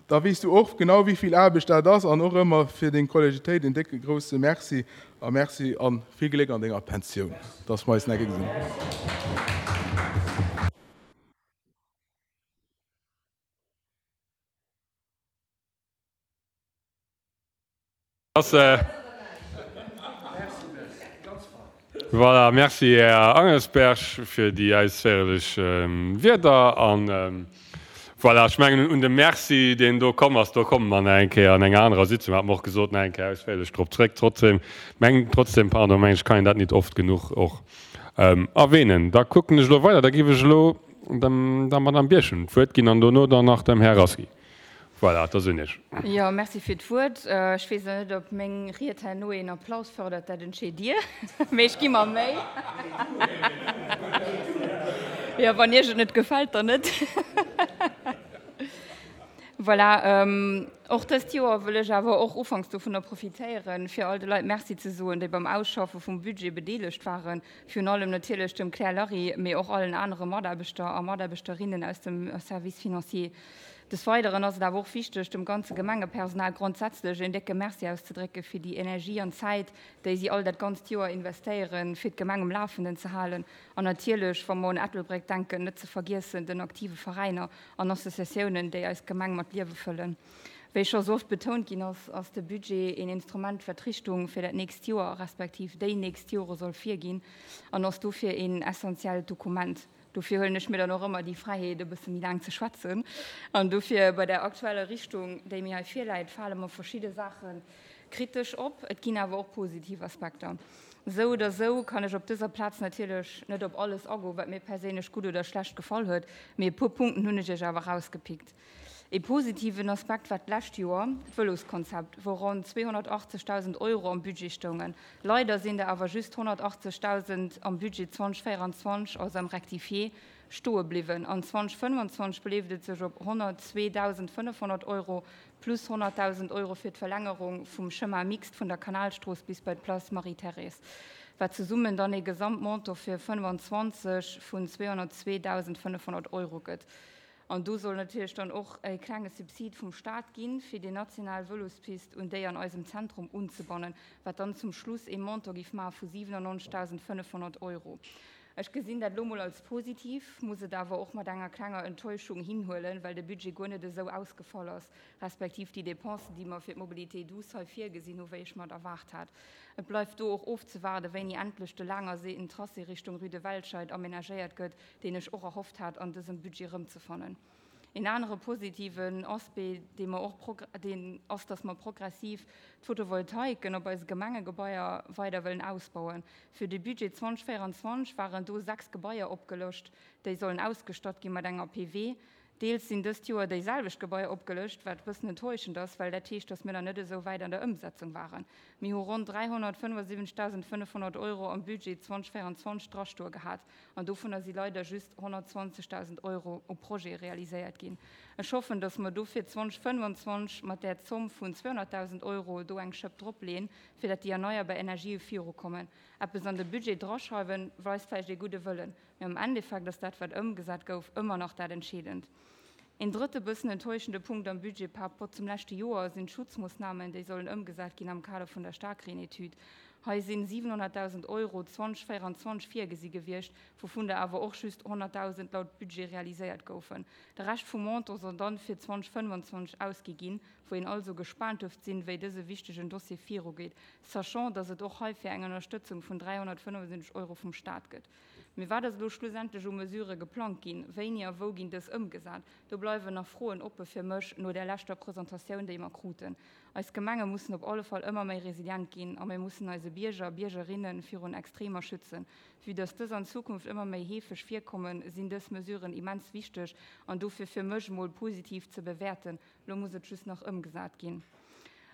Da weess du och genau, wéi vill Aarbecht dat ass. An och ëmmer fir deng Kollegitéit en décke grousse Merci a Merci a vill Gléck an denger Pensioun, dass mer eis nach gesinn. Voilà, merci Här Angelsberg fir déi ausféierlech Wierder. An voilà, ech mengen un de Merci, deen do komm ass, do komme mer nach eng Kéier an enger anerer Sitzung, hat mer och gesot, nach eng Kéier ausféierlech drop zréck. Trotzdem, meng, trotzdem, pardon, meng ech, kann een dat nit oft genuch och erwähnen. Da kucken ech elo weider, da géif ech elo dem der Madame Birchen d'Wuert ginn an dono dann nach dem Här Rasqui. Voilà, da sinn ech. Jo, merci fir d'Wuert. Ech weess elo net, ob meng Ried herno een Applaus fërdert, dat entscheet Dir, mee ech gi mer Méi. Jo, wann Iech et net gefält, dann net. Voilà, och dëst Joer wëll ech awer och ufanks dovunner profitéieren, fir all de Leit Merci ze soen, déi beim Ausschaffe vum Budget bedeelegt waren, virun allem natierlech dem Claire Larry, mee och allen anere Mataarbechter a Mataarbechterinnen aus dem Service financier. Des Weideren ass et awer och wichteg, dem ganze Gemengepersonal grondsätzlech een décke Merci auszedrécke fir déi Energie an Zäit, déi si all dat ganzt Joer investéieren, fir d'Gemeng um Lafenden ze halen. An natierlech, wa mer un Ettelbréck denken, net ze vergiessen den aktive Veräiner an Associatiounen, déi eis Gemeng mat Liewe fëllen. Wéi scho sou oft betount ginn ass, ass de Budget een Instrument, wat d'Richtung fir dat nächst Joer, respektiv déi nächst Jore soll virginn an ass dofir een essentiellt Dokument. Dofir huelen ech mir dann och ëmmer déi Fräiheet, e bësse méi laang ze schwätzen. An dofir, bei der aktueller Richtung, déi mir hei virläit, fale mer verschidde Saache kritesch op. Et ginn awer och positiv Aspekter. Esou oder esou kann ech op dëser Plaz natierlech net op alles agoen, wat mir perséinlech gutt oder schlecht gefall huet, mee e puer Punkten hunn ech Iech awer erausgepickt. Ee positiven Aspekt war d'lescht Joer d'Vëloskonzept, wou ronn zweehonnertachtzegdausend Euro am Budget stoungen. Leider sinn der awer just honnertachtzegdausend am Budget zweitausendvéierundzwanzeg, also am Rectifié, stoe bliwwen. An zweitausendfënnwandzwanzeg beleeft et sech op honnertzweedausendfënnefhonnert Euro plus honnertdausend Euro fir d'Verlängerung vum Chemin mixte vun der Kanalstrooss bis bei d'Place Marie-Thérèse, wat zesummen dann ee Gesamtmontant fir fënnefanzwanzeg vun zweehonnertzweedausendfënnefhonnert Euro gëtt. An do soll natierlech dann och e klenge Subsid vum Staat ginn, fir déi national Vëlospist un déi an eisem Zentrum unzebannen, wat dann zum Schluss ee Montant géif maache vu siwenannonzegdausendfënnefhonnert Euro. Ech gesinn dat elo mol als positiv, muss et awer och mat enger klenger Enttäuschung hinhuelen, well de Budget guer net esou ausgefall ass, respektiv déi Dépensen, déi mer fir d'Mobilité douce hei virgesinn hu, wéi ech mer et erwaart hat. Et bleift do och ofzewaarden, wéini endlech de laangerseeten Tracé Richtung Rue de Welscheid amenagéiert gëtt, deen ech och erhofft hat, an dësem Budget erëmzefannen. Een anere positiven Aspect, dee mer och, deen ass, dass mer progressiv d'Photovoltaiken op eise Gemengegebaier weider wëllen ausbauen. Fir de Budget zweitausendvéierundzwanzeg waren do sechs Gebaier opgelëscht, déi sollen ausgestatt gi mat enger P W. Deels sinn dëst Joer déi selwecht Gebaier opgelëscht, wat e bëssen enttäuschend ass, well dat heescht, dass mir nach net esou wäit an der Ëmsetzung waren. Mir hu ronn dräihonnertfënnefundsiwwenzegdausendfënnefhonnert Euro am Budget zweitausendvéierundzwanzeg drastoe gehat an dovunner si leider just honnertzwanzegdausend Euro u Projete realiséiert ginn. Ech hoffen, dass mer dofir zweitausendfënnwandzwanzeg mat där Zomm vun zweehonnertdausend Euro do eng Schëpp dropleeën, fir dat déi erneierbar Energië virukommen. Eppes an de Budget draschreiwen, weist vläicht ee gudde Wëllen. Mee am Endeffekt ass dat, wat ëmgesat gouf, ëmmer nach dat Entscheedend. Een drëtte bëssen enttäuschende Punkt am Budget par rapport zum leschte Joer sinn d'Schutzmoossnamen, déi sollen ëmgesat ginn am Kader vun der Starkreenetüd. Hei sinn siewenhonnertdausend Euro zweitausendvéierundzwanzeg virgesi gewiescht, wouvun der awer och just honnertdausend laut Budget realiséiert goufen. De Rescht vum Montant soll dann fir zweitausendfënnwandzwanzeg ausgi ginn, wou een also gespaant dürft sinn, wéi dëse wichtegen Dossier virugeet, sachant, dass et och heifir eng Ënnerstëtzung vun dräihonnertfënnefundsiwwenzeg Euro vum Staat gëtt. Mee wat ass elo schlussendlech u Mesure geplangt ginn? Wéini a wou ginn dës ëmgesat? Do bleiwen nach Froen oppe fir mech no der leschter Presentatioun, déi mer kruten. Eis Gemenge mussen op alle Fall ëmmer méi resilient ginn a mir mussen eise Bierger a Biergerinnen virun Extremer schützen. Vue dass dës an Zukunft ëmmer méi heefeg virkommen, sinn dës Mesuren immens wichteg an dofir fir mech mol positiv ze bewäerten. Lo muss et just nach ëmgesat ginn.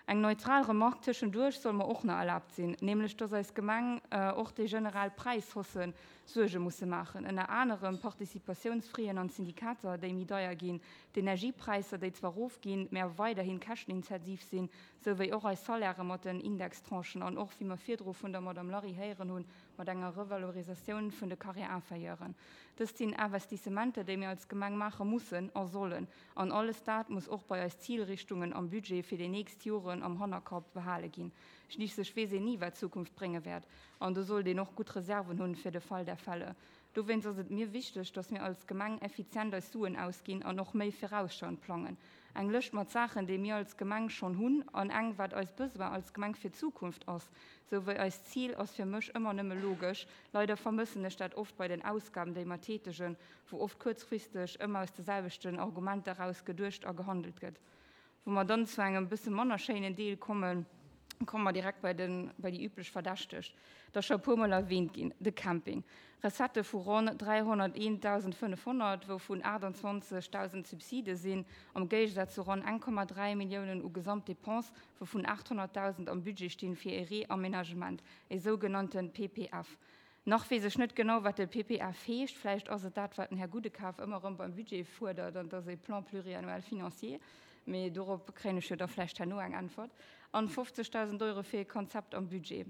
Eng neutral Remarque tëschenduerch soll mer och nach erlaabt sinn, nämlech dass eis Gemeng och déi generell Präishausse Suerge musse maachen. Ënner anerem Participatiounsfraien an Syndikater, déi méi deier ginn, d'Energiepräisser, déi zwar erofginn, mä awer weiderhin käschtenintensiv sinn, souwéi och eis Salairë mat den Indextranchen an och, wéi mer virdru vun der Madame Larry héieren hunn, mat enger Revalorisatioun vun de Carrière-inférieuren. Dëst sinn Investissementer, déi mir als Gemeng maache mussen a sollen. An alles dat muss och bei eis Zilrichtungen am Budget fir déi nächst Joren am Hannerkapp behale ginn. Schliisslech weess een ni, wat d'Zukunft brénge wäert. An do sollt een och gutt Reserven hunn fir de Fall der Fälle. Dowéinst ass et mir wichteg, dass mir als Gemeng effizient eis Suen ausginn an och méi virausschauend plangen. Eng Lëscht mat Saachen, déi mir als Gemeng schonn hunn an eng, wat eis Besoin als Gemeng fir d'Zukunft ass, souwéi eist Zil, ass fir mech ëmmer nëmme logesch. Leider vermëssen ech dat oft bei den Ausgaben, déi mer tätegen, wou oft kuerzfristeg ëmmer aus de selwechten Argumenter eraus geduecht a gehandelt gëtt. Wou mer dann zu engem bësse manner schéinen Deel kommen, komme mer direkt bei den, bei déi üblech Verdächteg. Dat ass scho e puermol erwähnt ginn, de Camping. Recettë vu ronn dräihonnerteentausendfënnefhonnert, wouvun aachtundzwanzegdausend Subside sinn, am Géigesaz zu ronn eng Komma dräi Milliounen u Gesamtdepense, wouvun achthonnertdausend am Budget stinn fir e Reaménagement, e sougenannte P P F. Nach weess ech net genau, wat de P P F heescht. Vläicht ass et dat, wat den Här Gudekaf ëmmer erëm beim Budget fuerdert, an dat ass e Plan pluriannuel financier. Mee dorop kréien ech jo da vläicht herno eng Äntwert. An fofzegdausend Euro fir e Konzept am Budget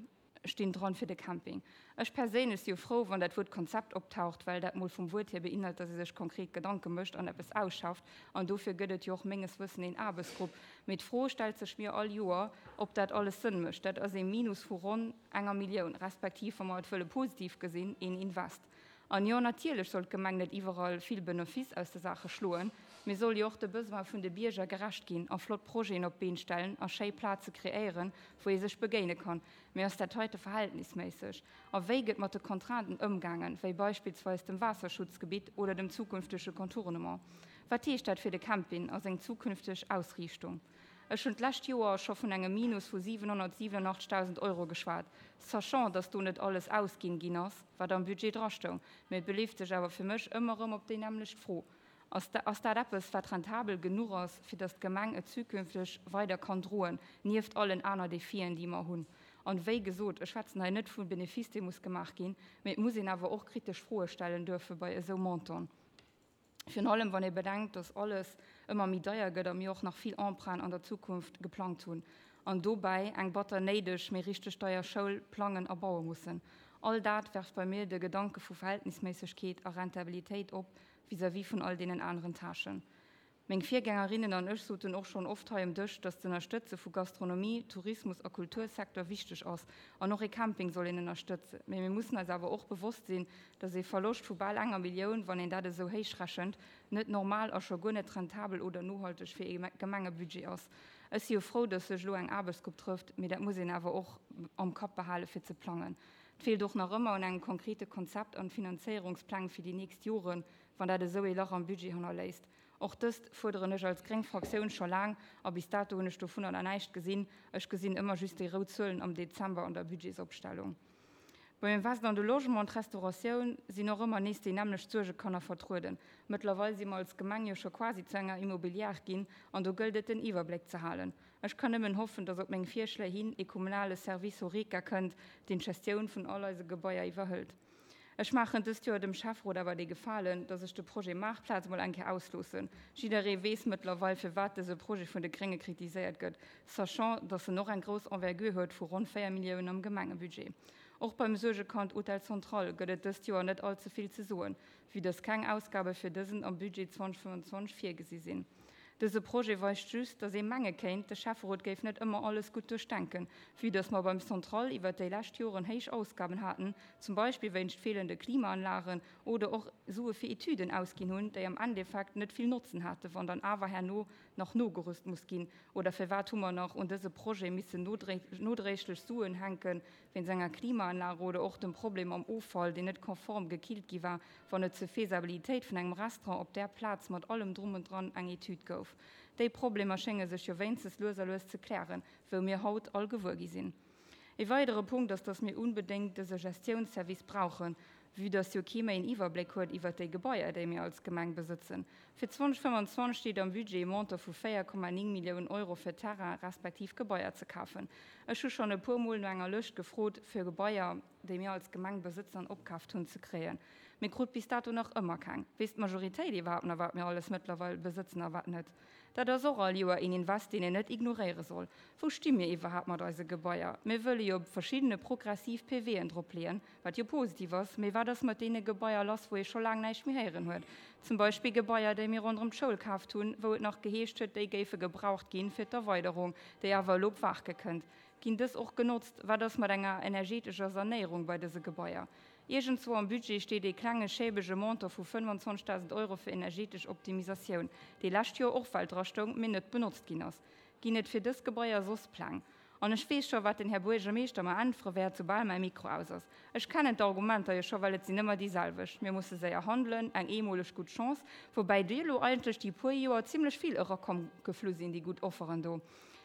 stinn dran fir de Camping. Ech perséinlech si jo frou, wann dat Wuert Konzept optaucht, well dat mol vum Wuert hier beinhalt, dass ee sech konkret Gedanke mécht an eppes ausschafft. An dofir gëtt et jo och menges Wëssen een Aarbechtsgrupp. Mee d'Fro stellt sech mir all Joer, ob dat alles Sënn mécht. Dat ass ee Minus vu ronn enger Millioun, respektiv, wa mer et wëlle positiv gesinn, een Invest. An jo, natierlech soll d'Gemeng net iwwerall vill Benefice aus der Sache schloen, mee soll jo och de Besoin vun de Bierger gerecht ginn a flott Projeten op d'Been stellen a schéi Plaze kreéieren, wou ee sech begéine kann. Mee ass dat heite verhältnisméisseg? A wéi gëtt mat de Contrainten ëmgaangen, wéi beispillsweis dem Waasserschutzgebitt oder dem zukünftege Contournement? Wat heescht dat fir de Camping a seng zukünfteg Ausriichtung? Ech hunn d'lescht Joer scho vun engem Minus vu siewenhonnertsiewenundachtzigtausend Euro geschwat, sachant, dass do net alles ausginn ginn ass, wat am Budget drastoung. Mee et beleeft sech awer fir mech ëmmer erëm op déi nämmlecht Fro. Ass ass dat eppes, wat rentabel genuch ass, fir datt d'Gemeng et zukünfteg weider kann droen, nieft allen aner Defien, déi mer hunn? An wéi gesot, ech schwätzen hei net vum Benefice, dee muss gemaach ginn, mee et muss een awer och kritesch Froe stellen duerfe bei esou Montanten. Virun allem wann ee bedenkt, dass alles ëmmer méi deier gëtt a mir och nach vill Emprunten an der Zukunft geplangt hunn an dobäi eng batter néideg, mee richteg deier Schoul plangen a baue mussen. All dat werft bei mir de Gedanke vu Verhältnisméissegkeet a Rentabilitéit op vis-à-vis vun all deenen aneren Tâchen. Meng Virgängerinnen an ech soten och schonn oft hei um Dësch, dass d'Ënnerstëtze vu Gastronomie, Tourismus a Kultursecteur wichteg ass an och ee Camping soll een ënnerstëtzen. Mee mir mussen eis awer och bewosst sinn, dass ee Verloscht vu bal enger Millioun, wann een dat esou héich rechent, net normal a scho guer net rentabel oder nohalteg fir ee Gemengebudget ass. Ech si jo frou, dass sech elo eng Aarbechtsgrupp trëfft, mee dat muss een awer och am Kapp behale fir ze plangen. Et feelt och nach ëmmer un engem konkrete Konzept an Finanzéierungspläng fir déi nächst Joren, wann dat esou ee Lach am Budget hannerléisst. Och dëst fuerderen ech als gréng Fraktioun scho laang a bis dato hunn ech dovunner nach näischt gesinn. Ech gesinn ëmmer just déi rout Zuelen am Dezember an der Budgetsopstellung. Beim Invest an de Logement an d'Restauratioun sinn och ëmmer nees déi nämmlecht Suergekanner vertrueden. Mëttlerweil si mer als Gemeng jo scho quasi zu enger Immobilière ginn an do gëllt et den Iwwerbléck ze halen. Ech kann nëmmen hoffen, dass op meng Virschléi hin ee kommunale Service Horeca kënnt, deen d'Gestioun vun all eise Gebaier iwwerhëlt. Ech maachen dëst Joer dem Schäfferot awer dee Gefalen, dass ech de Projet Maartplaz mol eng Kéier ausloossen. Jidderee weess mëttlerweil, firwat dëse Projet vun de Grénge kritiséiert gëtt, sachant, dass en och eng grouss Envergure huet vu ronn véier Milliounen am Gemengebudget. Och beim Suergekand Hotel Central gëtt et dëst Joer net all ze vill ze soen, vue dass keng Ausgabe fir dësen am Budget zweitausendfënnfenzwanzeg virgesi sinn. Dëse Projet weist just, dass ee menge kéint, de Schäfferot géif net ëmmer alles gutt duerchdenken, vue dass mer beim Central iwwert déi lescht Joren héich Ausgaben haten, zum Beispill wéinst feelende Klimaanlagen oder och Sue fir Etüden ausginn hunn, déi am Endeffekt net vill Notzen haten, wann dann awer herno nach nogerüst muss ginn. Oder firwat hu mer nach un dëse Projet missen nodréiglech Suen hänken, wéinst enger Klimaanlage oder och dem Problem mam Offall, deen net konform gekillt gi war, wann et zur Faisabilitéit vun engem Restaurant op där Plaz mat allem Drum und Dran eng Etüd gouf. Déi Problemer schénge sech jo wéinstens lues a lues ze klären, wou mir haut all gewuer gi sinn. E weidere Punkt ass, dass mir unbedéngt dëse Gestiounsservice brauchen, vue dass jo kee méi en Iwwerbléck huet iwwert déi Gebaier, déi mir als Gemeng besëtzen. Fir zweitausendfënnfenzwanzeg steet am Budget e Montant vu véier Komma néng Milliounen Euro fir Terrain respektiv Gebaier ze kafen. Ech hu schonn e puer Mol no enger Lëscht gefrot, fir Gebaier, déi mir als Gemeng besëtzen an opkaaft hunn, ze kréien. Mee krut bis dato nach ëmmer keng. Weess d'Majoritéit iwwerhaapt nach, wat mir alles mëttlerweil besëtzen a wat net? Dat ass och all Joer een Invest, deen een net ignoréiere soll. Wou sti mir iwwerhaapt mat eise Gebaier? Mir wëlle jo op verschiddene progressiv P W'en dropleeën, wat jo positiv ass, mee wat ass mat deene Gebaier lass, wou ee scho laang näischt méi héieren huet? Zum Beispill Gebaier, déi mir ronderëm d'Schoul kaaft hunn, wou et nach geheescht huet, déi géife gebraucht ginn fir d'Erweiderung, déi awer elo op Waarke kënnt. Ginn dës och genotzt? Wat ass mat enger energetescher Sanéierung bei dëse Gebaier? Iergendzwou am Budget steet ee klenge schäbege Montant vu fënnwanzwanzegdausend Euro fir energetesch Optimisatioun, dee lescht Joer och well drastoung, mee net benotzt ginn ass. Ginn et fir dës Gebaier soss Pläng? An ech weess scho, wat den Här Buergermeeschter mer äntwere wäert, soubal mäi Mikro aus ass. Ech kennen d'Argumenter jo scho, well et sinn ëmmer déi selwecht, Mir musse séier handelen, eng eemoleg gutt Chance, woubäi déi elo eigentlech déi puer Joer zimlech vill erakomm geflu sinn, déi gutt Offeren do.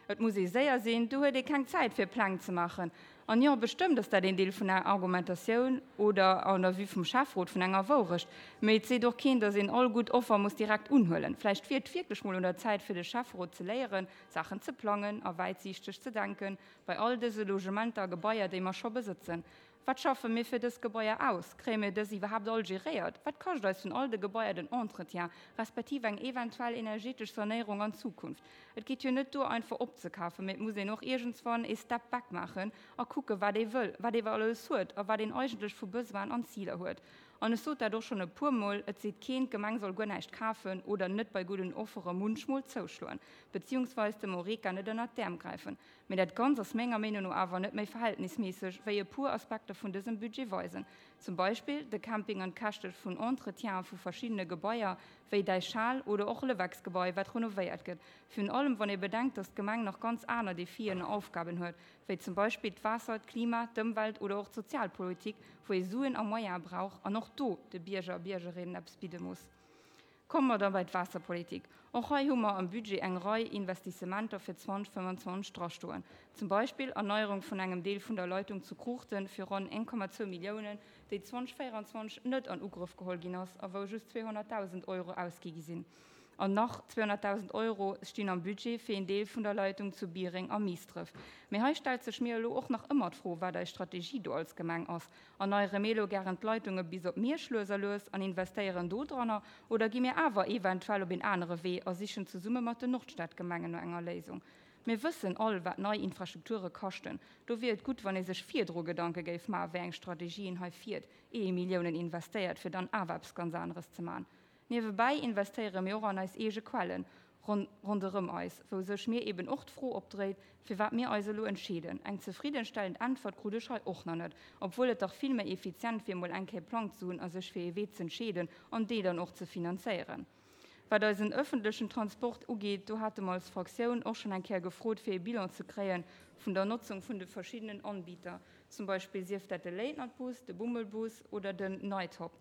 Et muss ee séier sinn, do huet ee keng Zäit fir Pläng ze maachen. An jo, bestëmmt ass dat een Deel vun enger Argumentatioun oder an der Vue vum Schäfferot vun enger Wourecht. Mee et seet och keen, datt een all gutt Offer muss direkt unhuelen. Vläicht wier et wierklech mol un der Zäit fir de Schäfferot ze léieren, Saachen ze plangen a wäitsiichteg ze denken, bei all dëse Logementer a Gebaier, déi mer scho besëtzen. Wat schaffe mir fir dës Gebaier aus? Kréie mir dës iwwerhaapt all geréiert? Wat kascht eis vun all de Gebaier den Entretien, respektiv eng eventuell energetesch Sanéierung an Zukunft? Et geet jo net duer, einfach opzekafen, mee et muss een och iergendswann ee Step back maachen a kucken, wat ee wëll, wat ee alles huet a wat een eigentlech vu Besoinen an Ziler huet. An ech sot dat och schonn e puermol, et seet keen, d'Gemeng soll guer näischt kafen oder net bei gudden Offere munchmol zouschloen, beziehungsweis dem Horeca net ënnert d'Äerm gräifen. Mee dat Ganzt ass menger Meenung no awer net méi verhältnisméisseg, wéi e puer Aspekter vun dësem Budget weisen. Zum Beispill de Camping an d'Käschte vun Entretiene vu verschiddene Gebaier, wéi Däichhal oder och Lewecksgebai, wat renovéiert gëtt. Virun allem, wann ee bedenkt, datt d'Gemeng nach ganz aner Defien a Aufgaben huet, wéi zum Beispill d'Waasser, d'Klima, d'Ëmwelt oder och d'Sozialpolitik, wou ee Suen a Moyene brauch an och do de Bierger a Biergerinnen eppes bidde muss. Komme mer da bei d'Waasserpolitik. Och hei hu mer am Budget eng Rei Investissementer fir zweitausendfënnwanzwanzeg drastoen. Zum Beispill Erneierung vun engem Deel vun der Leitung zu Kruuchten fir ronn eng Komma zwou Milliounen, déi zweitausendvéieranzwanzeg net an Ugrëff geholl ginn ass a wou just zweehonnertdausend Euro ausgi gi sinn. An nach zweehonnertdausend Euro stinn am Budget fir een Deel vun der Leitung zu Biereng a Miisdref. Mee hei stellt sech mir elo och nach ëmmer d'Fro, wat eis Strategie do als Gemeng ass. Erneiere mir elo gären d'Leitunge bis op Miersch lues a lues an investéieren do dranner oder gi mir awer eventuell op een anere Wee a sichen zesumme mat den Nordstadgemengen no enger Léisung? Mir wëssen all, wat nei Infrastrukture kaschten. Do wier et gutt, wann ee sech virdru Gedanke géif maachen, wéi eng Strategie een hei fiert, ier ee Milliounen investéiert, fir dann awer eppes ganz aneres ze maachen. Niewebäi investéiere mir och an eis eege Quellen ronderëm eis, wou sech mir eben och d'Fro opdréit, firwat mir eis elo entscheeden. Eng zefriddenstellend Äntwert krut ech hei och nach net, obwuel et dach vill méi effizient wier, mol eng Kéier Plang ze hunn a sech fir ee Wee z'entscheeden an dee dann och ze finanzéieren. Wat eisen ëffentlechen Transport ugeet, do hate mer als Fraktioun och schonn eng Kéier gefrot, fir ee Bilan ze kréie vun der Notzung vun de verschiddenen Anbieter, zum Beispill sief dat de Late-Night-Bus, de Bummelbus oder den Night-Hop.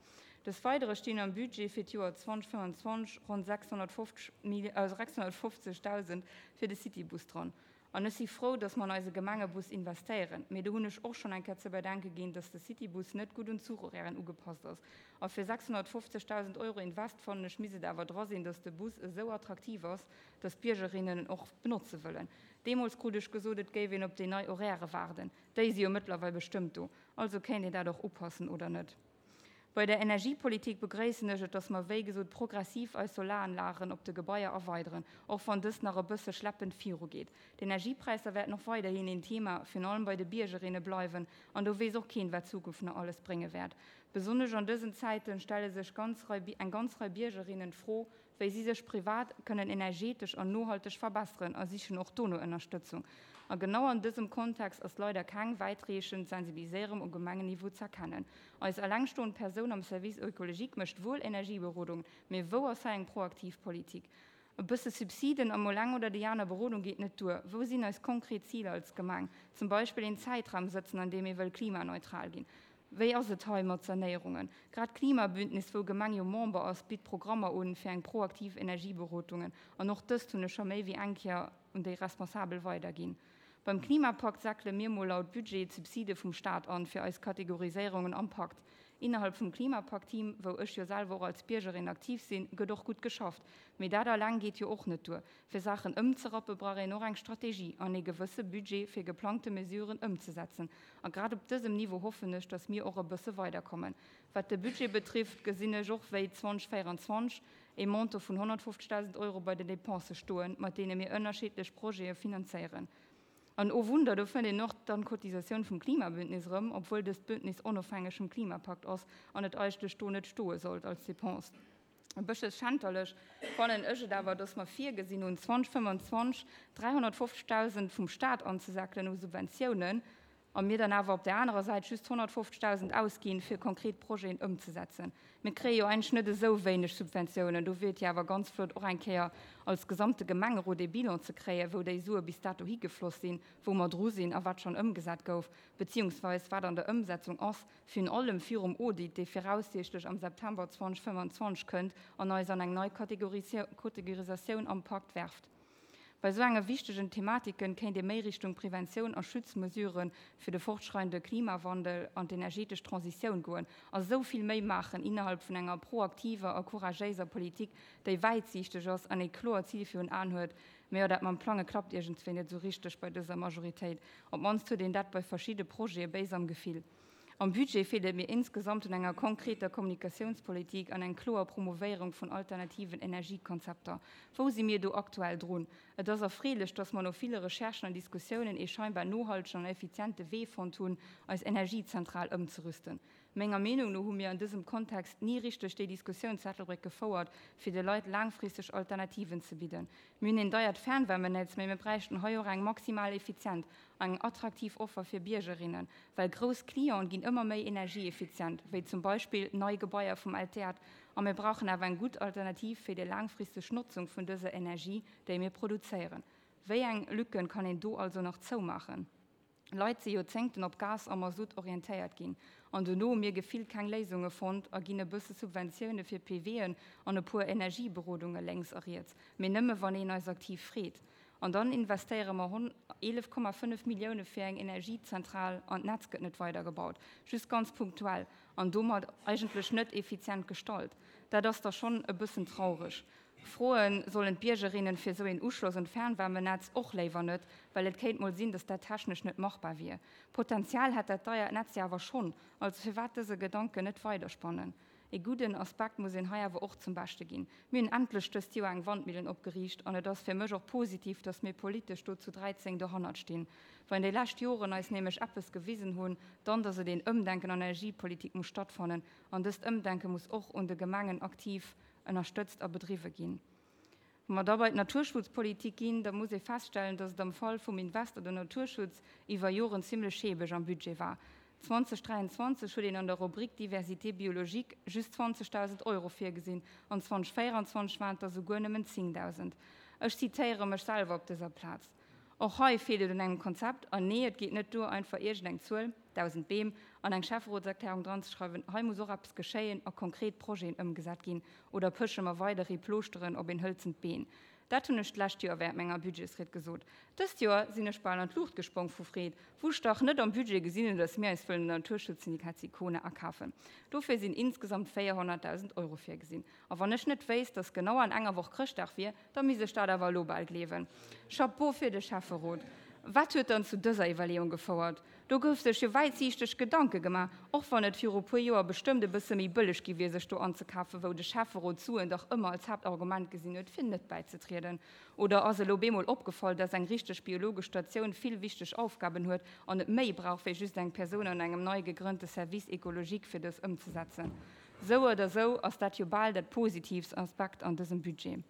Des Weidere stinn am Budget fir d'Joer zweitausendfënnwanzwanzeg ronn sechshonnertfofzeg fir de Citybus dran. An ech si frou, dass mer an eise Gemengebus investéieren. Mee do hunn ech och schonn eng Kéier ze bedenke ginn, dass de Citybus net gutt un d'Zuchhorairen ugepasst ass. A fir sechshonnertfofzegdausend Euro Invest fannen ech, misst et awer dra sinn, dass de Bus esou attraktiv ass, dass d'Biergerinnen en och benotze wëllen. Deemools krut ech gesot, et géif een op déi nei Horairë waarden. Déi si jo mëttlerweil bestëmmt do. Also kéint een dat och upassen, oder net? Bei der Energiepolitik begréissen ech et, dass mer, wéi gesot, progressiv eis Solaranlagen op de Gebaier erweideren, och wann dëst nach e bësse schleppend virugeet. D'Energiepräisser wäerten och weiderhin een Thema, virun allem bei de Biergerinne bleiwen, an do weess och keen, wat d'Zukunft nach alles brénge wäert. Besonnesch an dësen Zäiten stelle sech ganz Rei, eng ganz Rei Biergerinnen d'Fro, wéi si sech privat kënnen energetesch an nohalteg verbesseren a sichen och do no Ënnerstëtzung. A genau an dësem Kontext ass leider keng wäitreechend Sensibiliséierung um Gemengenniveau z'erkennen. Eis elengstoend Persoun am Service écologique mécht wuel Energieberodungen, mee wou ass hei eng proaktiv Politik? E bësse Subsiden a mol eng oder déi aner Berodung geet net duer. Wou sinn eis konkret Ziler als Gemeng? Zum Beispill een Zäitraum sëtzen, an deem ee wëll klimaneutral ginn. Wéi ass et hei mat Sanéierungen? Grad d'Klimabündnis, wou Gemeng jo Member ass, bitt Programmer un fir eng proaktiv Energieberotungen. An och dëst hunn ech scho méi wéi eng Kéier un déi Responsabel weiderginn. Beim Klimapakt säckele mir mol laut Budget d'Subside vum Staat an fir eis Kategoriséierungen am Pakt. Innerhalb vum Klimapakt-Team, wou ech jo selwer och als Biergerin aktiv sinn, gëtt och gutt geschafft. Mee dat alleng geet jo och net duer. Fir Saachen ëmzerappe brauch een och eng Strategie an ee gewësse Budget fir geplangte Mesuren ëmzesetzen. A grad op dësem Niveau hoffen ech, datt mir och e bësse weiderkommen. Wat de Budget betrifft, gesinn ech och wéi zweitausendvéieranzwanzeg ee Montant vun honnertfofzegdausend Euro bei den Depensë stoen, mat deene mir ënnerschiddlech Projete finanzéieren. An oh Wunder, do fënnt een och dann d'Cotisatioun vum Klimabündnis erëm, obwuel dëst Bündnis onofhängeg vum Klimapakt ass an et eigentlech do net stoe sollt als Dépense. E bëssche schänterlech fannen ech et awer, dass mer virgesinn hunn, zweitausendfënnwanzwanzeg dräihonnertfofzegdausend vum Staat anzesäckelen u Subventiounen, a mir dann awer op där anerer Säit just honnertfofzegdausend ausginn, fir konkret Projeten ëmzesetzen. Mir kréie jo eigentlech net esou wéineg Subventiounen. Do wier et jo awer ganz flott, och eng Kéier als gesamte Gemengerot ee Bilan ze kréien, wou déi Sue bis dato higefloss sinn, wou mer dru sinn a wat schonn ëmgesat gouf, beziehungsweis wat an der Ëmsetzung ass, virun allem virum Audit, dee viraussiichtlech am September zweitausendfënnwanzwanzeg kënnt an eis an eng nei Kategorisatioun am Pakt werft. Bei esou enge wichtegen Thematiken kéint ee méi Richtung Preventioun a Schutzmesurë fir de fortschreidende Klimawandel an d'energetesch Transitioun goen a sou vill méi maachen innerhalb vun enger proaktiver a couragéiser Politik, déi wäitsiichteg ass an ee kloert Zil virun Aen huet. Mee jo, dat mam Plange klappt iergendswéi net esou richteg bei dëser Majoritéit. Op d'mannst huet een dat bei verschidde Projete béis am Gefill. Am Budget feelt et mir insgesamt un enger konkreter Kommunikatiounspolitik an eng kloer Promovéierung vun alternativen Energiekonzepter. Wou si mir do aktuell drun? Et ass erfreelech, dass mer no ville Recherchen an Diskussiounen ee scheinbar nohaltegen an effiziente Wee fonnt hunn, eis Energiezentral ëmzerüsten. Menger Meenung no hu mir an dësem Kontext ni richteg déi Diskussioun zu Ettelbréck gefouert, fir de Leit laangfristeg Alternativen ze bidden. Mir hunn een deiert Fernwärmenetz, mee mir bräichten hei och eng maximal effizient an eng attraktiv Offer fir Biergerinnen, well grouss Clienten ginn ëmmer méi energieeffizient, wéi zum Beispill nei Gebaier vum L T A D, a mir brauchen awer eng gutt Alternativ fir déi laangfristeg Notzung vun dëser Energie, déi mir produzéieren. Wéi eng Lücken kann een do also nach zoumaachen? Leit si Joerzéngten op Gas a Masutt orientéiert ginn an dono hu mir gefillt keng Léisunge fonnt a ginn e bësse Subventioune fir PWen an e puer Energieberodunge lénks a riets, mee nëmme wann een eis aktiv freet. An dann investéiere mer eelef Komma fënnef Millioune fir eng Energiezentral an d'Netz gëtt net weidergebaut, just ganz punktuell an domat eigentlech net effizient gestalt. Dat ass da schonn e bëssen traureg. Froe sollen d'Biergerinnen fir esou een Uschloss un d'Fernwärmenetz och léiwer net, well et kéint mol sinn, dass dat technesch net machbar wier. Potenzial hätt dat deiert Netz jo awer schonn, also firwat dëse Gedanken net weiderspannen? Ee gudden Aspekt muss een hei awer och zum Beschte ginn, Mir hunn endlech dëst Joer eng Wandmillen opgeriicht an et ass fir mech och positiv, dass mir politesch do zu dräizéng dohannert stinn. Wann déi lescht Joren eis nämlech eppes gewisen hunn, dann dass et een Ëmdenken an der Energiepolitik muss stattfannen an dëst Ëmdenke muss och un de Gemengen aktiv ënnerstëtzt a bedriwwe ginn. Wa mer da bei d'Naturschutzpolitik ginn, da muss ee feststellen, dass et am Fall vum Invest an den Naturschutz iwwer Joren zimlech schäbeg am Budget war. zweitausenddräianzwanzeg huet een an der Rubrik Diversité biologique just zwanzegdausend Euro virgesinn an zweitausendvéieranzwanzeg waren et der souguer nëmmen zéngdausend. Ech zitéiere mech selwer op dëser Plaz. Och hei feelt et un engem Konzept. An nee, et geet net duer, einfach iergendeng Zuel, dausend Beem, an eng Schäfferotserklärung dranzeschreiwen. Hei muss och eppes geschéien a konkret Projeten ëmgesat ginn. Oder pësche mer weiderhi Plooschteren op een hëlzent Been? Dat hunn ech d'lescht Joer während menger Budgetsried gesot. Dëst Joer sinn ech bal an d'Luucht gesprong vu Freed, wou ech dach net am Budget gesinn hunn, dass mir eis wëllen den Naturschutzsyndikat Sicona akafen. Dofir sinn insgesamt véierhonnertdausend Euro virgesinn. A wann ech net wéisst, dass genau an enger Woch Chrëschtdag wier, da misst ech dat awer elo bal gleewen. Chapeau fir de Schäfferot! Wat huet dann zu dëser Iwwerleeung gefouert? Do gouf sech jo wäitsiichteg Gedanke gemaach, och wann et viru puer Joer bestëmmt e bësse méi bëlleg gi wier, sech do anzekafen, wou de Schäfferot d'Suen dach ëmmer als Haaptargument gesinn huet, fir net bäizetrieden. Oder ass elo bemol opgefall, dass eng richteg biologesch Statioun vill wichteg Aufgaben huet an et méi brauch wéi just eng Persoun an engem nei gegrënnte Service écologique fir dës ëmzesetzen? Sou oder sou ass dat jo bal dat positivst Aspekt an dësem Budget.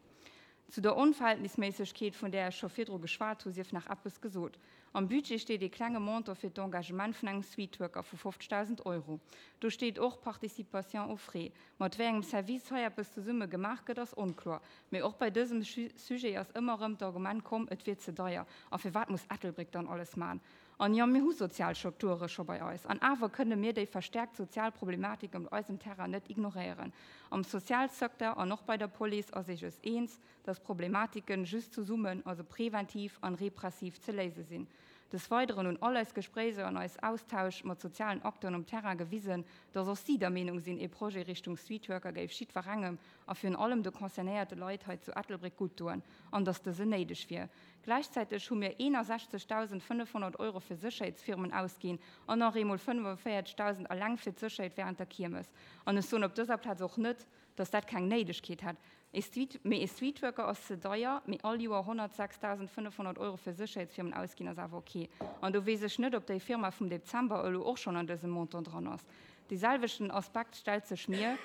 Zu der Onverhältnisméissegkeet, vun där ech scho virdru geschwat hu, sief nach eppes gesot. Am Budget steet ee klenge Montant fir d'Engagement vun engem Streetworker vu fofzegdausend Euro. Do steet och Participation aux frais. Mat wéi engem Service hei eppes zesumme gemaach gëtt, ass onkloer. Mee och bei dësem Sujet ass ëmmer erëm d'Argument komm, et wier ze deier a firwat muss Ettelbréck dann alles maachen? An jo, mir hu sozial Strukture scho bei eis. An awer kënne mir déi verstärkt sozial Problematik op eisem Terrain net ignoréieren. Am Sozialsecteur an och bei der Police ass ee sech eens, dass Problematiken just zesummen, also preventiv an repressiv ze léise sinn. Des Weideren hunn all eis Gespréiser an eis Austausch mat sozialen Acteuren um Terrain gewisen, dass och si der Meenung sinn, ee Projet Richtung Streetworker géif jiddwerengem a virun allem de concernéierte Leit hei zu Ettelbréck gutt doen an dass dësen néideg wier. Gläichzäiteg hu mir eenundsechzegdausendfënnefhonnert Euro fir Sécherheetsfirmen ausginn an nach eemol fënnefanvéierzegdausend eleng fir d'Sécherheet während der Kiermes. An ech soen op dëser Plaz och net, dass dat keng Néidegkeet hätt. Ee Street, mee ee Streetworker ass ze deier, mee all Joer honnertsechsdausendfënnefhonnert Euro fir Sécherheetsfirmen ausginn ass awer ok. An do weess ech net, ob déi Firma vum Dezember elo och schonn an dësem Montant dran ass. Dee selwechten Aspekt stellt sech mir,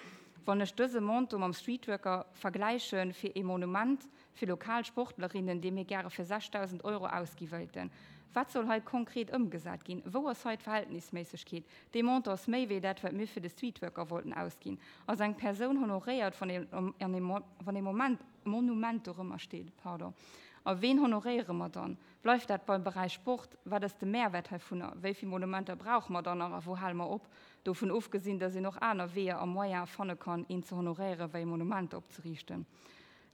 wann ech dëse Montant mam Streetworker vergläiche fir ee Monument fir lokal Sportlerinnen, dee mir gäre fir sechsdausend Euro ausgi wëilten. Wat soll hei konkret ëmgesat ginn? Wou ass hei d'Verhältnisméissegkeet? Dee Montant ass méi wéi dat, wat mir fir de Streetworker wollten ausginn. Ass eng Persoun honoréiert, wann ee Moment, Monument dorëmmer steet? Pardon. A ween honoréiere mer dann? Bleift dat beim Beräich Sport? Wat ass de Mehrwert heivunner? Wéi vill Monumenter brauche mer dann nach a wou hale mer op? Dovun ofgesinn, dass een och aner Weeër a Moyene fanne kann, een ze honoréieren, wéi Monumenter opzeriichten.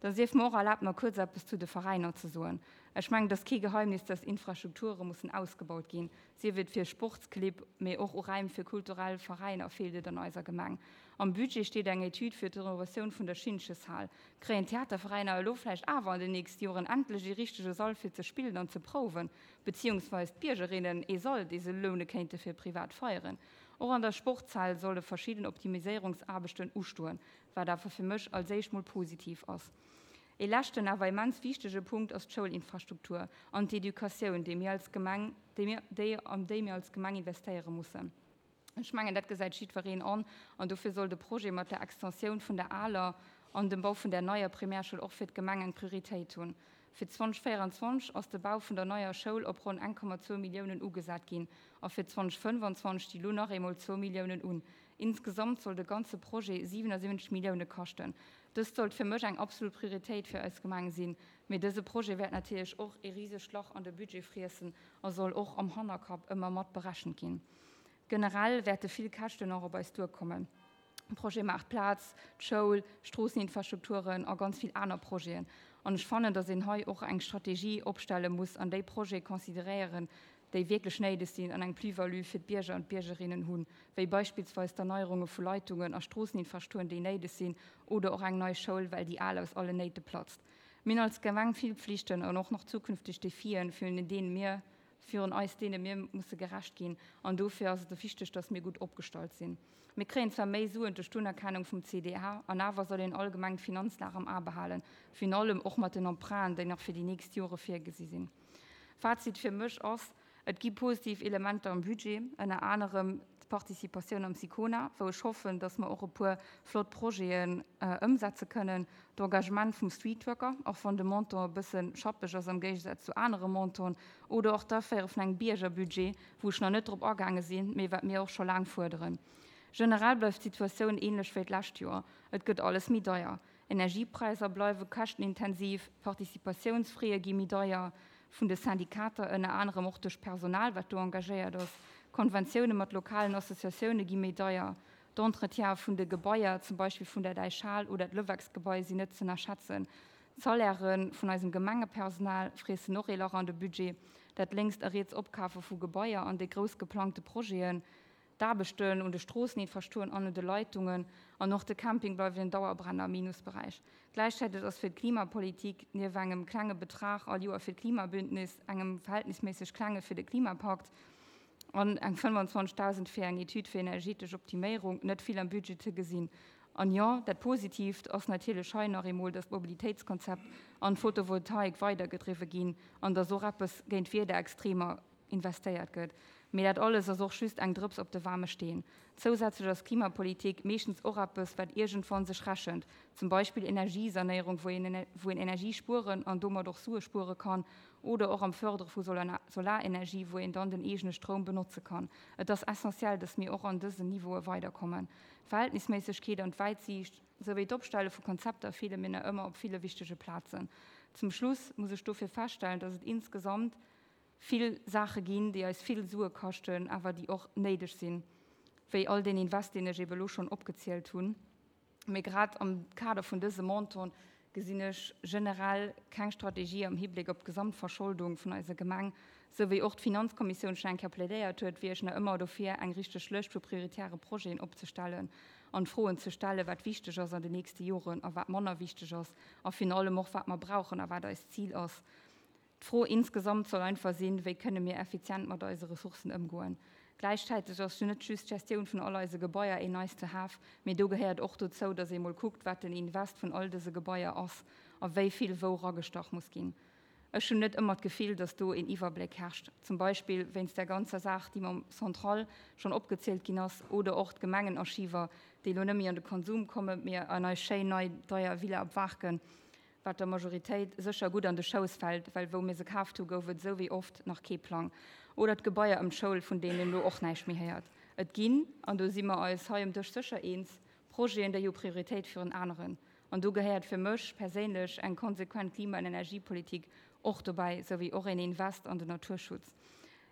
Da sief mer och erlaabt, nach kuerz eppes zu de Veräiner ze soen. Ech mengen, et ass kee Geheimnis, dass Infrastrukture mussen ausgebaut ginn, sief et fir Sportsclibb, mee och u Räim fir kulturell Veräiner feelt et an eiser Gemeng. Am Budget steet eng Etüd fir d'Renovatioun vun der Schintcheshal. Kréien d'Theaterveräiner elo vläicht awer an den nächste Joren endlech ee richtege Sall fir ze spillen an ze prouwen, beziehungsweis d'Biergerinnen ee Sall, dee se loune kéinte fir privat Feieren? Och an der Sportshal solle verschidden Optimiséierungsaarbechten ustoen, wat awer fir mech als éischt mol positiv ass. Ee leschten, awer immens wichtege Punkt ass d'Schoulinfrastruktur an d'Educatioun, déi mir als Gemeng, déi mir, déi, an déi mir als Gemeng investéiere mussen. Ech mengen, dat gesäit jiddwereen an, an dofir soll de Projet mat der Extensioun vun der aler an dem Bau vun der neier Primärschoul och fir d'Gemeng eng Prioritéit hunn. Fir zweitausendvéieranzwanzeg ass de Bau vun der neier Schoul op ronn eng Komma zwou Milliounen ugesat ginn a fir zweitausendfënnefanzwanzeg sti lo nach eemol zwou Milliounen un. Insgesamt soll de ganze Projet siewenasiwwenzeg Millioune kaschten. Dëst sollt fir mech eng absolut Prioritéit fir eis Gemeng sinn, mee dëse Projet wäert natierlech och ee risegt Lach an de Budget friessen a soll och am Hannerkapp ëmmer mat berechent ginn. Generell wäerte vill Käschten och op eis duerkommen, Projet Maartplaz, d'Schoul, Stroosseninfrastrukturen a ganz vill aner Projeten. An ech fannen, datt een hei och eng Strategie opstelle muss an déi Projete consideréieren, déi wierklech néideg sinn an eng Plus-value fir d'Bierger an d'Biergerinnen hunn, wéi beispillsweis d'Erneierunge vu Leitungen a Stroosseninfrastrukturen, déi néideg sinn, oder och eng nei Schoul, well déi al aus allen Néite platzt. Mir hunn als Gemeng vill Pflichten an och nach zukünfteg Defien, virun deene mir virun eis, deene mir musse gerecht ginn. An dofir ass et wichteg, dass mir gutt opgestallt sinn. Mir kréien zwar méi Suen duerch d'Unerkennung vum C D A, an awer soll een allgemeng d'Finanzlag am A behalen, virun allem och mat den Emprunten, déi nach fir déi nächst Jore virgesi sinn. Fazit fir mech ass, Et gi positiv Elementer am Budget, ënner anerem d'Participatioun am SICONA, wou ech hoffen, dass mer och e puer flott Projeten ëmsetze kënnen, d'Engagement vum Streetworker, och wann de Montant e bësse schappeg ass am Géigesaz zu anere Montanten, oder och d'Aféiere vun engem Biergerbudget, wou ech nach net drop agaange sinn, mee wat mir och scho laang fuerderen. Generell bleift d'Situatioun änlech wéi d'lescht Joer, Et gëtt alles méi deier. Energiepräisser bleiwe käschtenintensiv, d'Participatiounsfraie gi méi deier, vun de Syndikater, ënner anerem och duerch d'Personal, wat do engagéiert ass. Konventioune mat lokalen Associatioune gi méi deier. D'Entretiene vun de Gebaier, zum Beispill vun der Däichhal oder d'Levexgebai, sinn net z'ënnerschätzen. D'Salairë vun eisem Gemengepersonal friessen och ee Lach an de Budget. Dat lénkst a riets Opkafe vu Gebaier an déi grouss geplangte Projeten, D'Aarbechten un de Stroosseninfrastrukturen an un de Leitungen an och de Camping bleiwen en Dauerbrenner am Minusberäich. Gläichzäiteg ass fir d'Klimapolitik, nief engem klenge Betrag all Joer fir d'Klimabündnis, engem verhältnisméisseg klenge fir de Klimapakt an eng fënnefanzwanzegdausend fir eng Etüd fir energetesch Optiméierung, net vill am Budget ze gesinn. An jo, dat Positiivt ass natierlech hei nach eemol, dass d'Mobilitéitskonzept an d'Photovoltaik weidergedriwwe ginn an dass och eppes géint d'Wiederextremer investéiert gëtt. Mee dat alles ass och just eng Drëps op de waarme Steen. Zousätzlech ass Klimapolitik meeschtens och eppes, wat iergendwann sech rechent, zum Beispill Energiesanéierung, wou een wou een Energie spueren an domat och Sue spuere kann, oder och am Fërdere vu Solarenergie, wou een dann den eegene Stroum benotze kann. Et ass essentiell, dass mir och an dësen Niveaue weiderkommen. D'Verhältnisméissegkeet an d'Wäitsiicht, souwéi d'Opstelle vu Konzepter feele mir nach ëmmer op ville wichtege Plazen. Zum Schluss muss ech dofir feststellen, dass et insgesamt vill Saache ginn, déi eis vill Sue kaschten, awer déi och néideg sinn, wéi all deen Invest, deen ech ebe elo schonn opgezielt hunn. Mee grad am Kader vun dësem Montant gesinn ech generell keng Strategie am Hibléck op d'Gesamtverscholdung vun eiser Gemeng. Sou wéi och d'Finanzkommissioun schonn eng Kéier plädéiert huet, wier ech nach ëmmer dofir, eng richteg Lëscht vu prioritäre Projeten opzestellen an d'Froen ze stellen, wat wichteg ass an den nächste Joren a wat manner wichteg ass a virun allem och, wat mer brauchen a wat eist Zil ass. D'Fro insgesamt soll einfach sinn, Wéi kënne mir effizient mat eise Ressourcen ëmgoen? Gläichzäiteg ass jo net just d'Gestioun vun all eise Gebaier een nice to have, mee do gehéiert och dozou, dass ee mol kuckt, wat den Invest vun all dëse Gebaier ass a wéi vill wou ragestach muss ginn. Ech hunn net ëmmer d'Gefill, dass do een Iwwerbléck herrscht, zum Beispill wéinst där ganzer Saach, déi mam Centrale schonn opgezielt ginn ass, oder och d'Gemengenarchiver, déi elo net méi an de Konsum kommen, mee an eis schéin nei deier Villa op Waarken. Wat der Majoritéit sécher gutt an de Schouss fält, well wou mir se kaaft hu gouf et esou wéi oft nach kee Plang. Oder d'Gebaier ëm d'Schoul, vun deenen een elo och näischt méi héiert. Et ginn, an do si mer eis hei um Dësch sécher eens, Projeten, déi hu Prioritéit virun aneren. An do gehéiert fir mech perséinlech eng konsequent Klima an Energiepolitik och dobäi, sou wéi och een Invest an den Naturschutz.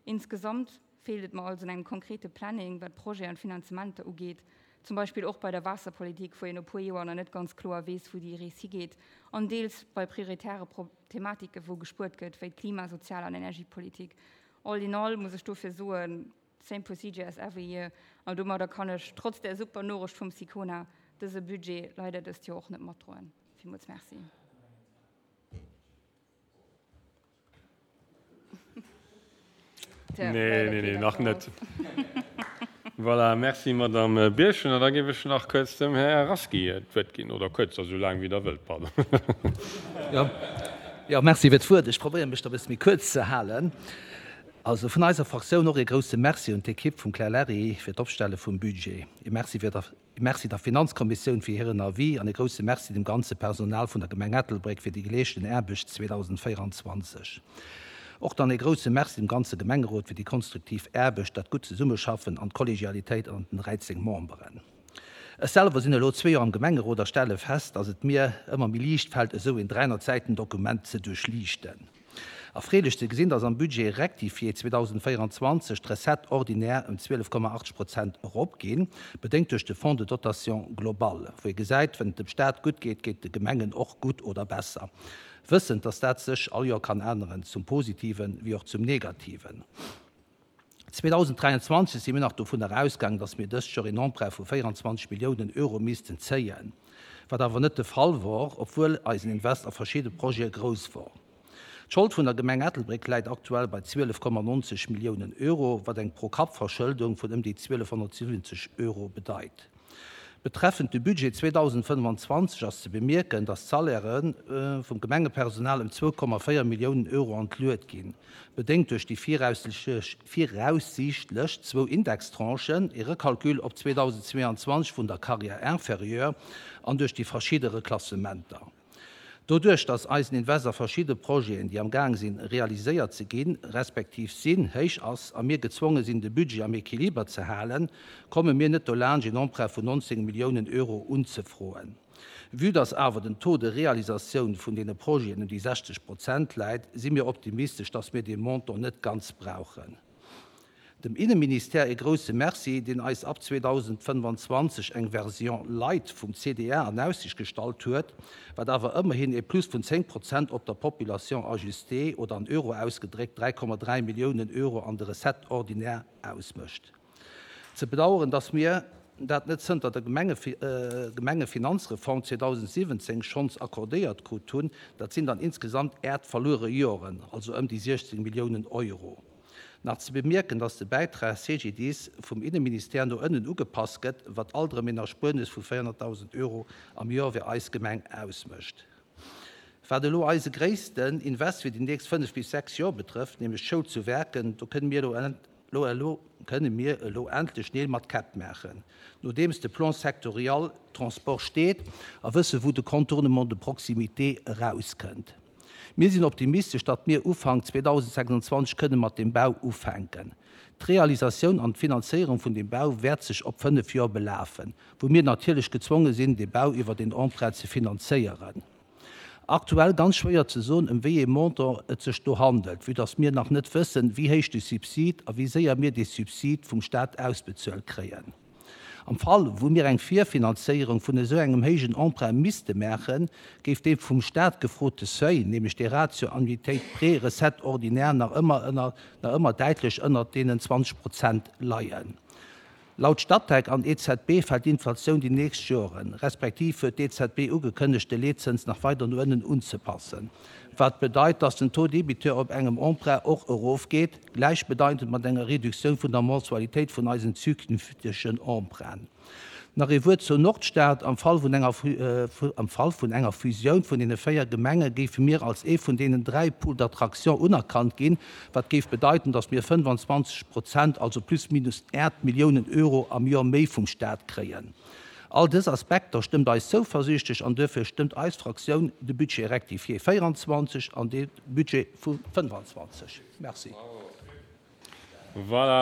Insgesamt feelt et mer also un engem konkrete Planning, wat Projeten an Finanzementer ugeet, zum Beispill och bei der Waasserpolitik, wou een no puer Joer nach net ganz kloer weess, wou déi Rees higeet, an deels bei prioritäre Thematike wou gespuert gëtt, wéi d'Klima-, Sozial an Energiepolitik. All in all muss ech dofir soen, same procedure as every year, an domadder kann ech trotz där super Norecht vum SICONA dëse Budget leider dëst Joer och net matdroen. Villmools Merci. Nee, nee, nee, nach net. Voilà, merci Madame Birchen. An da géif ech nach kuerz dem Här Rasqui d'Wuert ginn, oder kuerz, esou laang wéi Der wëllt, pardon. Jo, jo, merci fir d'Wuert. Ech probéieren, mech da e bësse méi kuerz ze halen. Also vun eiser Fraktioun och ee grouse Merci un d'Ekipp vum Claire Lary fir d'Opstelle vum Budget. Ee Merci fir der E Merci der Finanzkommissioun fir hiren Avis an e grousse Merci dem ganze Personal vun der Gemeng Ettelbréck fir déi geleeschten Aarbecht zweedausendvéieranzwanzeg. Och dann ee grousse Merci dem ganze Gemengerot fir déi konstruktiv Aarbecht, dat gutt Zesummeschaffen an d'Kollegialitéit an den dräizéng Memberen. Ech selwer sinn elo zwee Joer am Gemengerot a stelle fest, dass et mir ëmmer méi liicht fält, esou een dräihonnert Säiten Dokument ze duerchliichten. Erfreelech ze gesinn, dass am Budget rectifié zweedausendvéieranzwanzeg d'Recettes ordinaires ëm zwielef Komma acht Prozent eropginn, bedéngt duerch de Fonds de dotation globale, wou ee gesäit, Wenn et dem Staat gutt geet, geet et de Gemengen och gutt oder besser, wëssend, dass dat sech all Joer kann änneren, zum Positiven wéi och zum Negativen. zweedausenddräianzwanzeg si mir nach dovunner ausgaangen, dass mir dëst Joer een Emprunt vu véieranzwanzeg Milliounen Euro missten zéien, wat awer net de Fall wor, obwuel eisen Invest a verschidde Projete grouss wor. D'Schold vun der Gemeng Ettelbréck läit aktuell bei zwielef Komma nonzeg Milliounen Euro, wat eng Pro-Kapp-Verschëldung vun ëm déi zwielefhonnertsiwwenzeg Euro bedeit. Betreffend de Budget zweedausendfënnefanzwanzeg ass ze bemierken, dass d'Salairë vum Gemengepersonal ëm zwou Komma véier Milliounen Euro an d'Luet ginn, bedéngt duerch déi viraussiichtlech zwou Indextranchen, ee Recalcul op zweedausendzweeanzwanzeg vun der Carrière inférieure an duerch déi verschidde Reklassementer. Doduerch, dass eisen Invest a verschidde Projeten, déi am Gaang sinn, realiséiert ze ginn, respektiv sinn, héich ass a mir gezwonge sinn, de Budget am Equiliber ze halen, komme mir net dolaanscht, een Emprunt vun nonzéng Milliounen Euro unzefroen. Vue dass awer den Taux de réalisatioun vun deene Projeten ëm déi sechzeg Prozent läit, si mir optimistesch, dass mir dee Montant net ganz brauchen. Dem Inneministère ee grousse Merci, deen eis ab zweedausendfënnefanzwanzeg eng Version light vum C D R an Aussicht gestallt huet, wat awer ëmmerhin ee Plus vun zéng Prozent op der Population ajustée oder an Euro ausgedréckt dräi Komma dräi Milliounen Euro an de Recettes ordinaires ausmécht. Ze bedauern, dass mir dat net zënter der Gemengefinanzreform zweedausendsiwwenzéng schonns accordéiert krut hunn, dat sinn dann insgesamt äert verluere Joren, also ëm déi siechzéng Milliounen Euro. Nach ze bemierken, dass de Bäitrag C G D I S vum Inneministère no ënnen ugepasst gëtt, wat alt erëm een Erspuernes vu véierhonnertdausend Euro am Joer fir eis Gemeng ausmécht. Wat elo eise gréissten Invest fir déi nächst fënnef bis sechs Joer betrëfft, nämlech d'Schoul zu Werken, do kënne mir elo elo kënne mir elo endlech Neel mat Käpp maachen, nodeems de Plan sectoriel Transport steet a wësse wou de Contournement de proximité erauskënnt. Mir sinn optimistesch, datt mir Ufank zweedausendsechsanzwanzeg kënne mat dem Bau ufänken. D'Realisatioun an d'Finanzéierung vun dem Bau wäert sech op fënnef Joer belafen, wou mir natierlech gezwonge sinn, de Bau iwwert een Emprunt ze finanzéieren. Aktuell ganz schwéier ze soen, ëm wéi ee Montant et sech do handelt, vue datt mir nach net wëssen, wéi héich de Subsid a wéi séier mir dee Subsid vum Staat ausbezuelt kréien. Am Fall, wou mir eng Virfinanzéierung vun esou engem héijen Emprunt misste maachen, géif dee vum Staat gefrote Seuil, nämlech de Ratio Annuitéit prêt recettes ordinaires, nach ëmmer ënner, nach ëmmer däitlech ënnert deenen zwanzeg Prozent leien. Laut Statec an E Z B fält d'Inflatioun déi nächst Joren, respektiv huet d'E Z B ugekënnegt, de Leetzëns nach weider no ënnen unzepassen, wat bedeit, dass den Taux débiteur op engem Emprunt och erofgeet, gläichbedeitend mat enger Reduktioun vun der Mensualitéit vun eisen zukünftegen Emprunten. Nach ee Wuert zur Nordstad, Am Fall vun enger am Fall vun enger Fusioun vun deene véier Gemenge géife mir als ee vun deenen dräi Pôles d'attraction unerkannt ginn, wat géif bedeiten, dass mir fënnefanzwanzeg Prozent, also plus minus aacht Milliounen Euro am Joer méi vum Staat kréien. All dës Aspekter stëmmt eis zouversiichtlech an duerfir stëmmt eis Fraktioun de Budget rectifié véieranzwanzeg an de Budget vu fënnefanzwanzeg. Merci. Voilà.